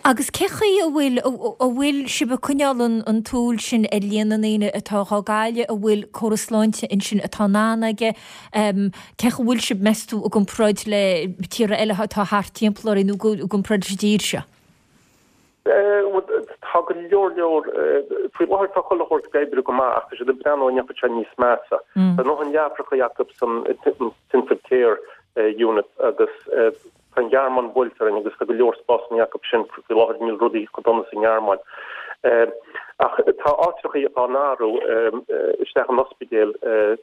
Agus cé chaoi a bhfuil a bhfuil sibh ag coinneáil an an tsúil sin ar líon na ndaoine atá á gcailleadh, a bhfuil córas sláinte ansin atá in ann aige, cé chaoi a bhfuil sibh meas tú i gcomparáid le tíortha eile atá thart timpeall orainn nó i gcomparáid leis an dtír seo? Tá go leor leor, faoi láthair tá chuile shórt ag oibriú go maith ach tá siad ag breathnú an ndéanfaidh sé níos measa. Tá a ndóthain leapacha acu san intensive care unit agus tá an Ghearmáin buailte orainn agus tá go leor spásanna acu sin faoi láthair, níl rudaí chomh dona sa nGearmáin. Ach tá áitreacha á n-athrú isteach in ospidéil,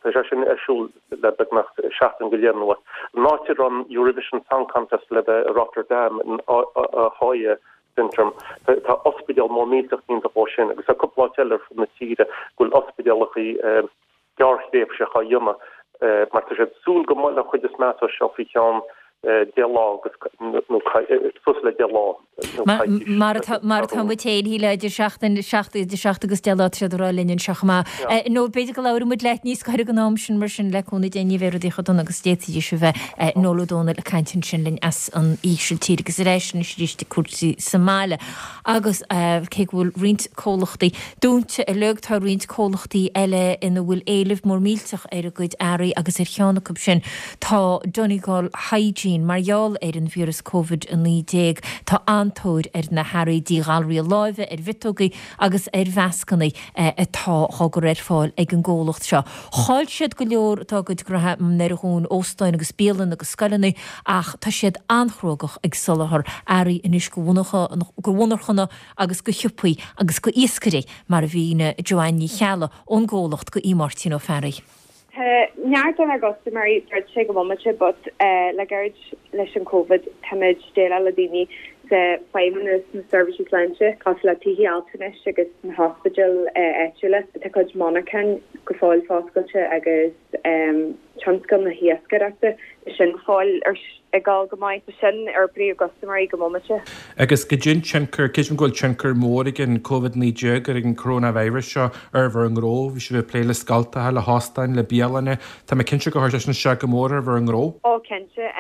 tá sé sin ar siúl le beagnach seachtain go leith anuas. An áit a raibh an Eurovision Song Contest le bheith i Rotterdam in Ahoy Centrum, tá ospidéal mór millteach déanta dhó sin agus tá cúpla áit eile ar fud na tíre go bhfuil ospidéalacha gearrthréimhseacha á dhéanamh mar tá siad ag súil go mbeidh an chuid is measa seo faoi cheann deich lá agus nó suas le deich lá nó coicís. Mar atá mar atá muid féin, shílfeá idir seachtain, seacht, idir seacht agus deich lá tá siad ag rá linn anseo chomh maith. Nó b'fhéidir go labhróidh muid leat níos gaire don am sin mar sin le cúnamh Dé ní bheidh rudaí chomh dona agus d'fhéadfaidís a bheith. Noel Ó Dónaill ag caint ansin linn as an Ísiltír agus ar ais anois arís ag cúrsaí sa mbaile agus cé go bhfuil roinnt comhlachtaí dúnta uilig tá roinnt comhlachtaí eile ina bhfuil éileamh mór millteach ar a gcuid earraí agus ar cheann acu sin tá Donegal Hygiene. Mar gheall ar an víreas Covid a naoi déag tá an-tóir ar na hearraí díghalraithe láimhe, ar mhiotógaí agus ar mhascanna atá á gcur ar fáil ag an gcomhlacht seo. Chaill siad go leor dá gcuid gnoithe nuair a dhún óstáin agus bialanna agus scoileanna ach tá siad an-chnóthach ag soláthar earraí anois go mhonarchana agus go siopaí agus go iascairí mar a mhínigh Joanne Ní Cheallaigh ón gcomhlacht do Aodh Máirtín Ó Fearraigh. Tá neart dár gcustaiméirí druidte ag an bhomaite but le gairid leis an Covid táimid déileáil le daoine sa feidhmeannas na seirbhísí sláinte cosúil le tithe altranais agus na hospidéil áitiúla. Tá cuid monarchan go fóill foscailte agus tionscal na hiascaireachta, tá sin go fóill ag dul go maith. Tá sin ár bpríomhchustaiméirí ag an mbomaite. Agus goidé an tionchar, creidim go bhfuil tionchar mór ag an Covid naoi déag, ar an coronavirus seo ar bhur ngnó. Bhí sibh ag plé le scoltacha, le hóstáin, le bialanna. Tá mé cinnte gur chuir sé sin isteach go mór ar bhur ngnó. Ó cinnte.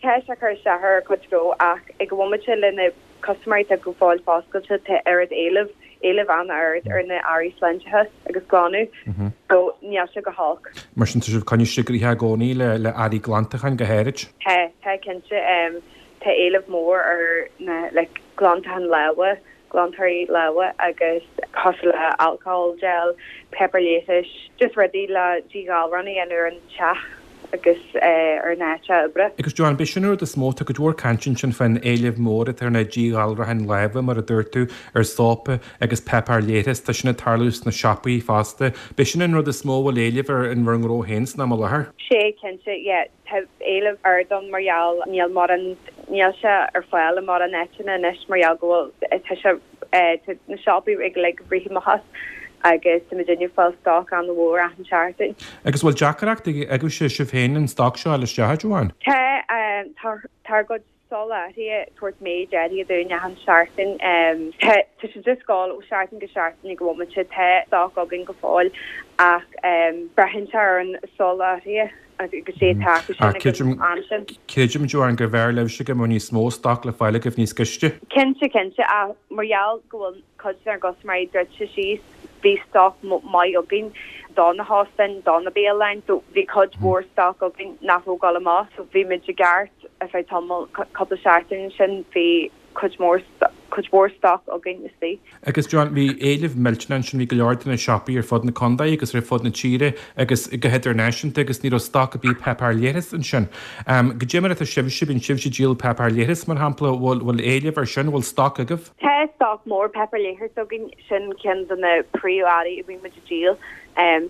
Tá sé ag cur isteach ar ár gcuid gnó ach ag an bhomaite le na custaiméirí atá go fóill foscailte tá oiread éileamh, éileamh an-ard ar na earraí sláinteachais agus glanadh so níl sé go holc. Mar sin tá sibh ag coinneáil sibh gnoitheach i gcónaí le le earraí glantacháin go háirid? Tá, tá cinnte. Tá éileamh mór ar na like glantachán lámha, glantóirí lámha agus cosúil le alcohol gel, páipéar leighis, just rudaí le díghalrán a dhéanamh ar an teach agus ar an áit oibre. Agus Joanne, b'é sin an rud is mó, tá cuid mhór cainte ansin fán éileamh mór atá ar na díghalracháin láimhe, mar a dúirt tú, ar sópa agus páipéar leithris, tá sin ag tarlú sna siopaí fosta. B'é sin an rud is mó a bhfuil éileamh air in bhur ngnó féin san am i láthair? Sé, cinnte, yeah. Tá éileamh ard ann mar gheall níl mórán, níl sé ar fáil i mórán áiteanna anois mar gheall go bhfuil, tá sé, tá na siopaí ag like rith amach as. agus tá muidinne ag fáil stoc an-mhór achan seachtain. Agus bhfuil deacracht agaibhse sibh féin an stoc seo a fháil isteach, a Joanne? Tá, tá ár gcuid soláthraithe ag tabhairt méid áirithe dúinn achan seachtain. Tá tá sé just ag gabháil ó seachtain go seachtain ag an bhomaite. Tá stoc againn go fóill ach braitheann sé ar an soláthraithe agus é atá acu sin ag an am sin. Creidim, Joanne, gurbh fhearr libhse go mbeadh níos mó stoc le fáil agaibh níos gaiste. Cinnte, cinnte, ach mar gheall go bhfuil cuid dár gcustaiméirí druidte síos, bhí stoc maith againn do na hóstáin, do na bialanna, so bhí cuid mhór stoc againn nach raibh ag dul amach, so bhí muid i gceart ar feadh tamall, cúpla seachtain ansin, bhí cuid mhór, cuid mhór stoc againn istigh. Agus Joanne, bhí éileamh millteanach ansin, bhí go leor de na siopaí ar fud na contae agus ar fud na tíre agus go hidirnáisiúnta agus ní raibh stoc ar bith páipéar leithris ansin. Goidé mar atá sibhse, bíonn sibhse ag díol páipéar leithris mar shampla, bhfuil, bhfuil éileamh ar sin, bhfuil stoc agaibh? Tá stoc mór páipéar leithris againn, sin ceann de na príomh-earraí a bhíonn muid ag díol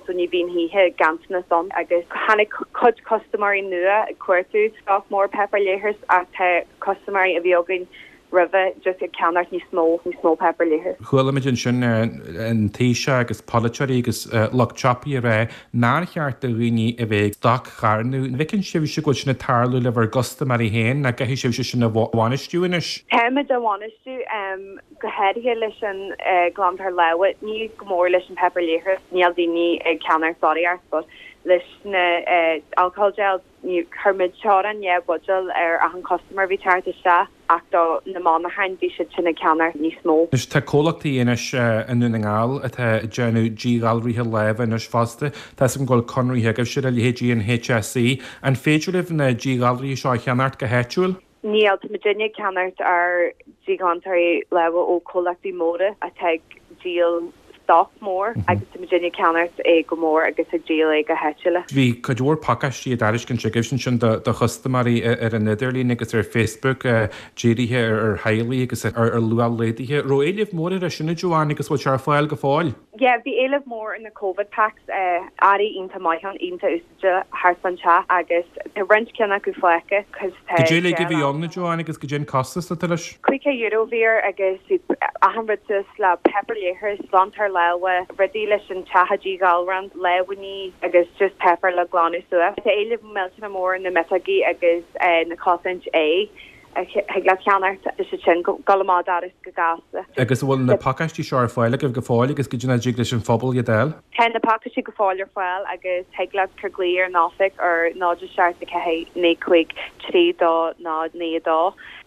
so ní bhíonn choíche ganntanas ann agus tháinig cuid custaiméirí nua ag cuartú stoc mór páipéar leithris ach tá custaiméirí a bhí againn roimhe just ag ceannacht níos mó, níos mó páipéar leithris. Chuala muid ansin an Taoiseach agus polaiteoirí agus lucht siopaí ag rá nár cheart do dhaoine a bheith ag stoc-charnadh. An bhfeiceann sibhse go bhfuil sin ag tarlú le bhur gcustaiméirí féin nó caithfidh sibhse sin a bhainistiú anois? Táimid á bhainistiú, go háirithe leis an glantóir lámha, ní go mór leis an páipéar leithris, níl daoine ag ceannacht barraíocht but leis na alcohol gels, ní chuir muid teorainn dhá bhuidéal ar achan custaiméir a bhí ag teacht isteach ach do na monarchain bhí siad sin ag ceannacht níos mó. Anois tá comhlachtaí anois i nDún na nGall atá ag déanamh díghalraithe láimhe anois fosta. Tá 'fhios agam go bhfuil conraithe agaibhse le leithéidí an HSE. An féidir libh na díghalraithe seo a cheannacht go háitiúil? Níl, tá muidinne ag ceannacht ár díghlantóirí lámha ó chomhlachtaí móra atá ag díol stoc mór agus tá muidinne ag ceannacht é go mór agus ag díol é go háitiúil. Bhí cuid mhór pacáistí á dtairiscint agaibhse ansin do chustaiméirí ar an idirlíon agus ar Facebook dírithe ar theaghlaigh agus ar luach laghdaithe. Raibh éileamh mór air sin a Joanne agus bhfuil sé ar fáil go fóill? Yeah, bhí éileamh mór ar na Covid packs, earraí iontach maith ann, iontach úsáideach thart fán teach agus tá roinnt ceann acu fágtha cos tá Goidé uilig a bhí ann, a Joanne, agus goidé an costas atá leis? Caoga euro a bhí air agus bhí achan rud suas le páipéar leithris, glantóir lámha, rudaí leis an teach a dhíghalrán, lámhainní agus just páipéar le glanadh suas. Tá éileamh millteanach mór ar na miotógaí agus na cosaint aghaidhe. a thig leat ceannacht, tá siad sin ag dul amach an doras go gasta. Agus an bhfuil na pacáistí seo ar fáil agaibh go fóill agus goidé an dtig leis an phobal iad a fháil? Tá na pacáistí go fóill ar fáil agus thig leat cur glaoch ar an oifig ar náid a seacht a ceathair naoi cúig trí dó náid naoi a dó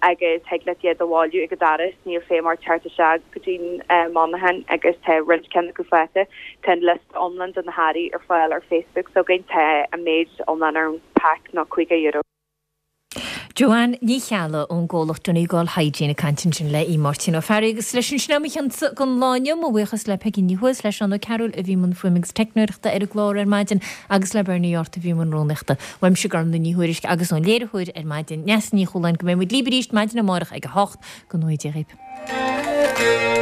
agus thig leat iad a bhailiú ag an doras, níl feidhm ort teacht isteach go dtí an monarchan agus tá roinnt ceann acu fágtha. Tá an liosta iomlán de na hearraí ar fáil ar Facebook s'againn, tá an méid iomlán ar an pack ná caoga euro. Joanne Ní Cheallaigh ón gcomhlacht Donegal Hygiene ag caint ansin le Aodh Máirtín Ó Fearraigh agus leis sin sin é mo chionsa don lá inniu. Mo bhuíochas le Peigí Ní Thuathail, le Seán Ó Cearúil a bhí i mbun fuaime agus teicneoireachta ar an gclár ar maidin agus le Bernie Yortt a bhí i mbun rúnaíochta. Uaimse Gormlaith Ní Thuairisg agus ón léiritheoir ar maidin, Neasa Ní Chualáin go mbeidh muid libh arís maidin amárach ag a hocht. Go ngnóthaí Dia dhaoibh.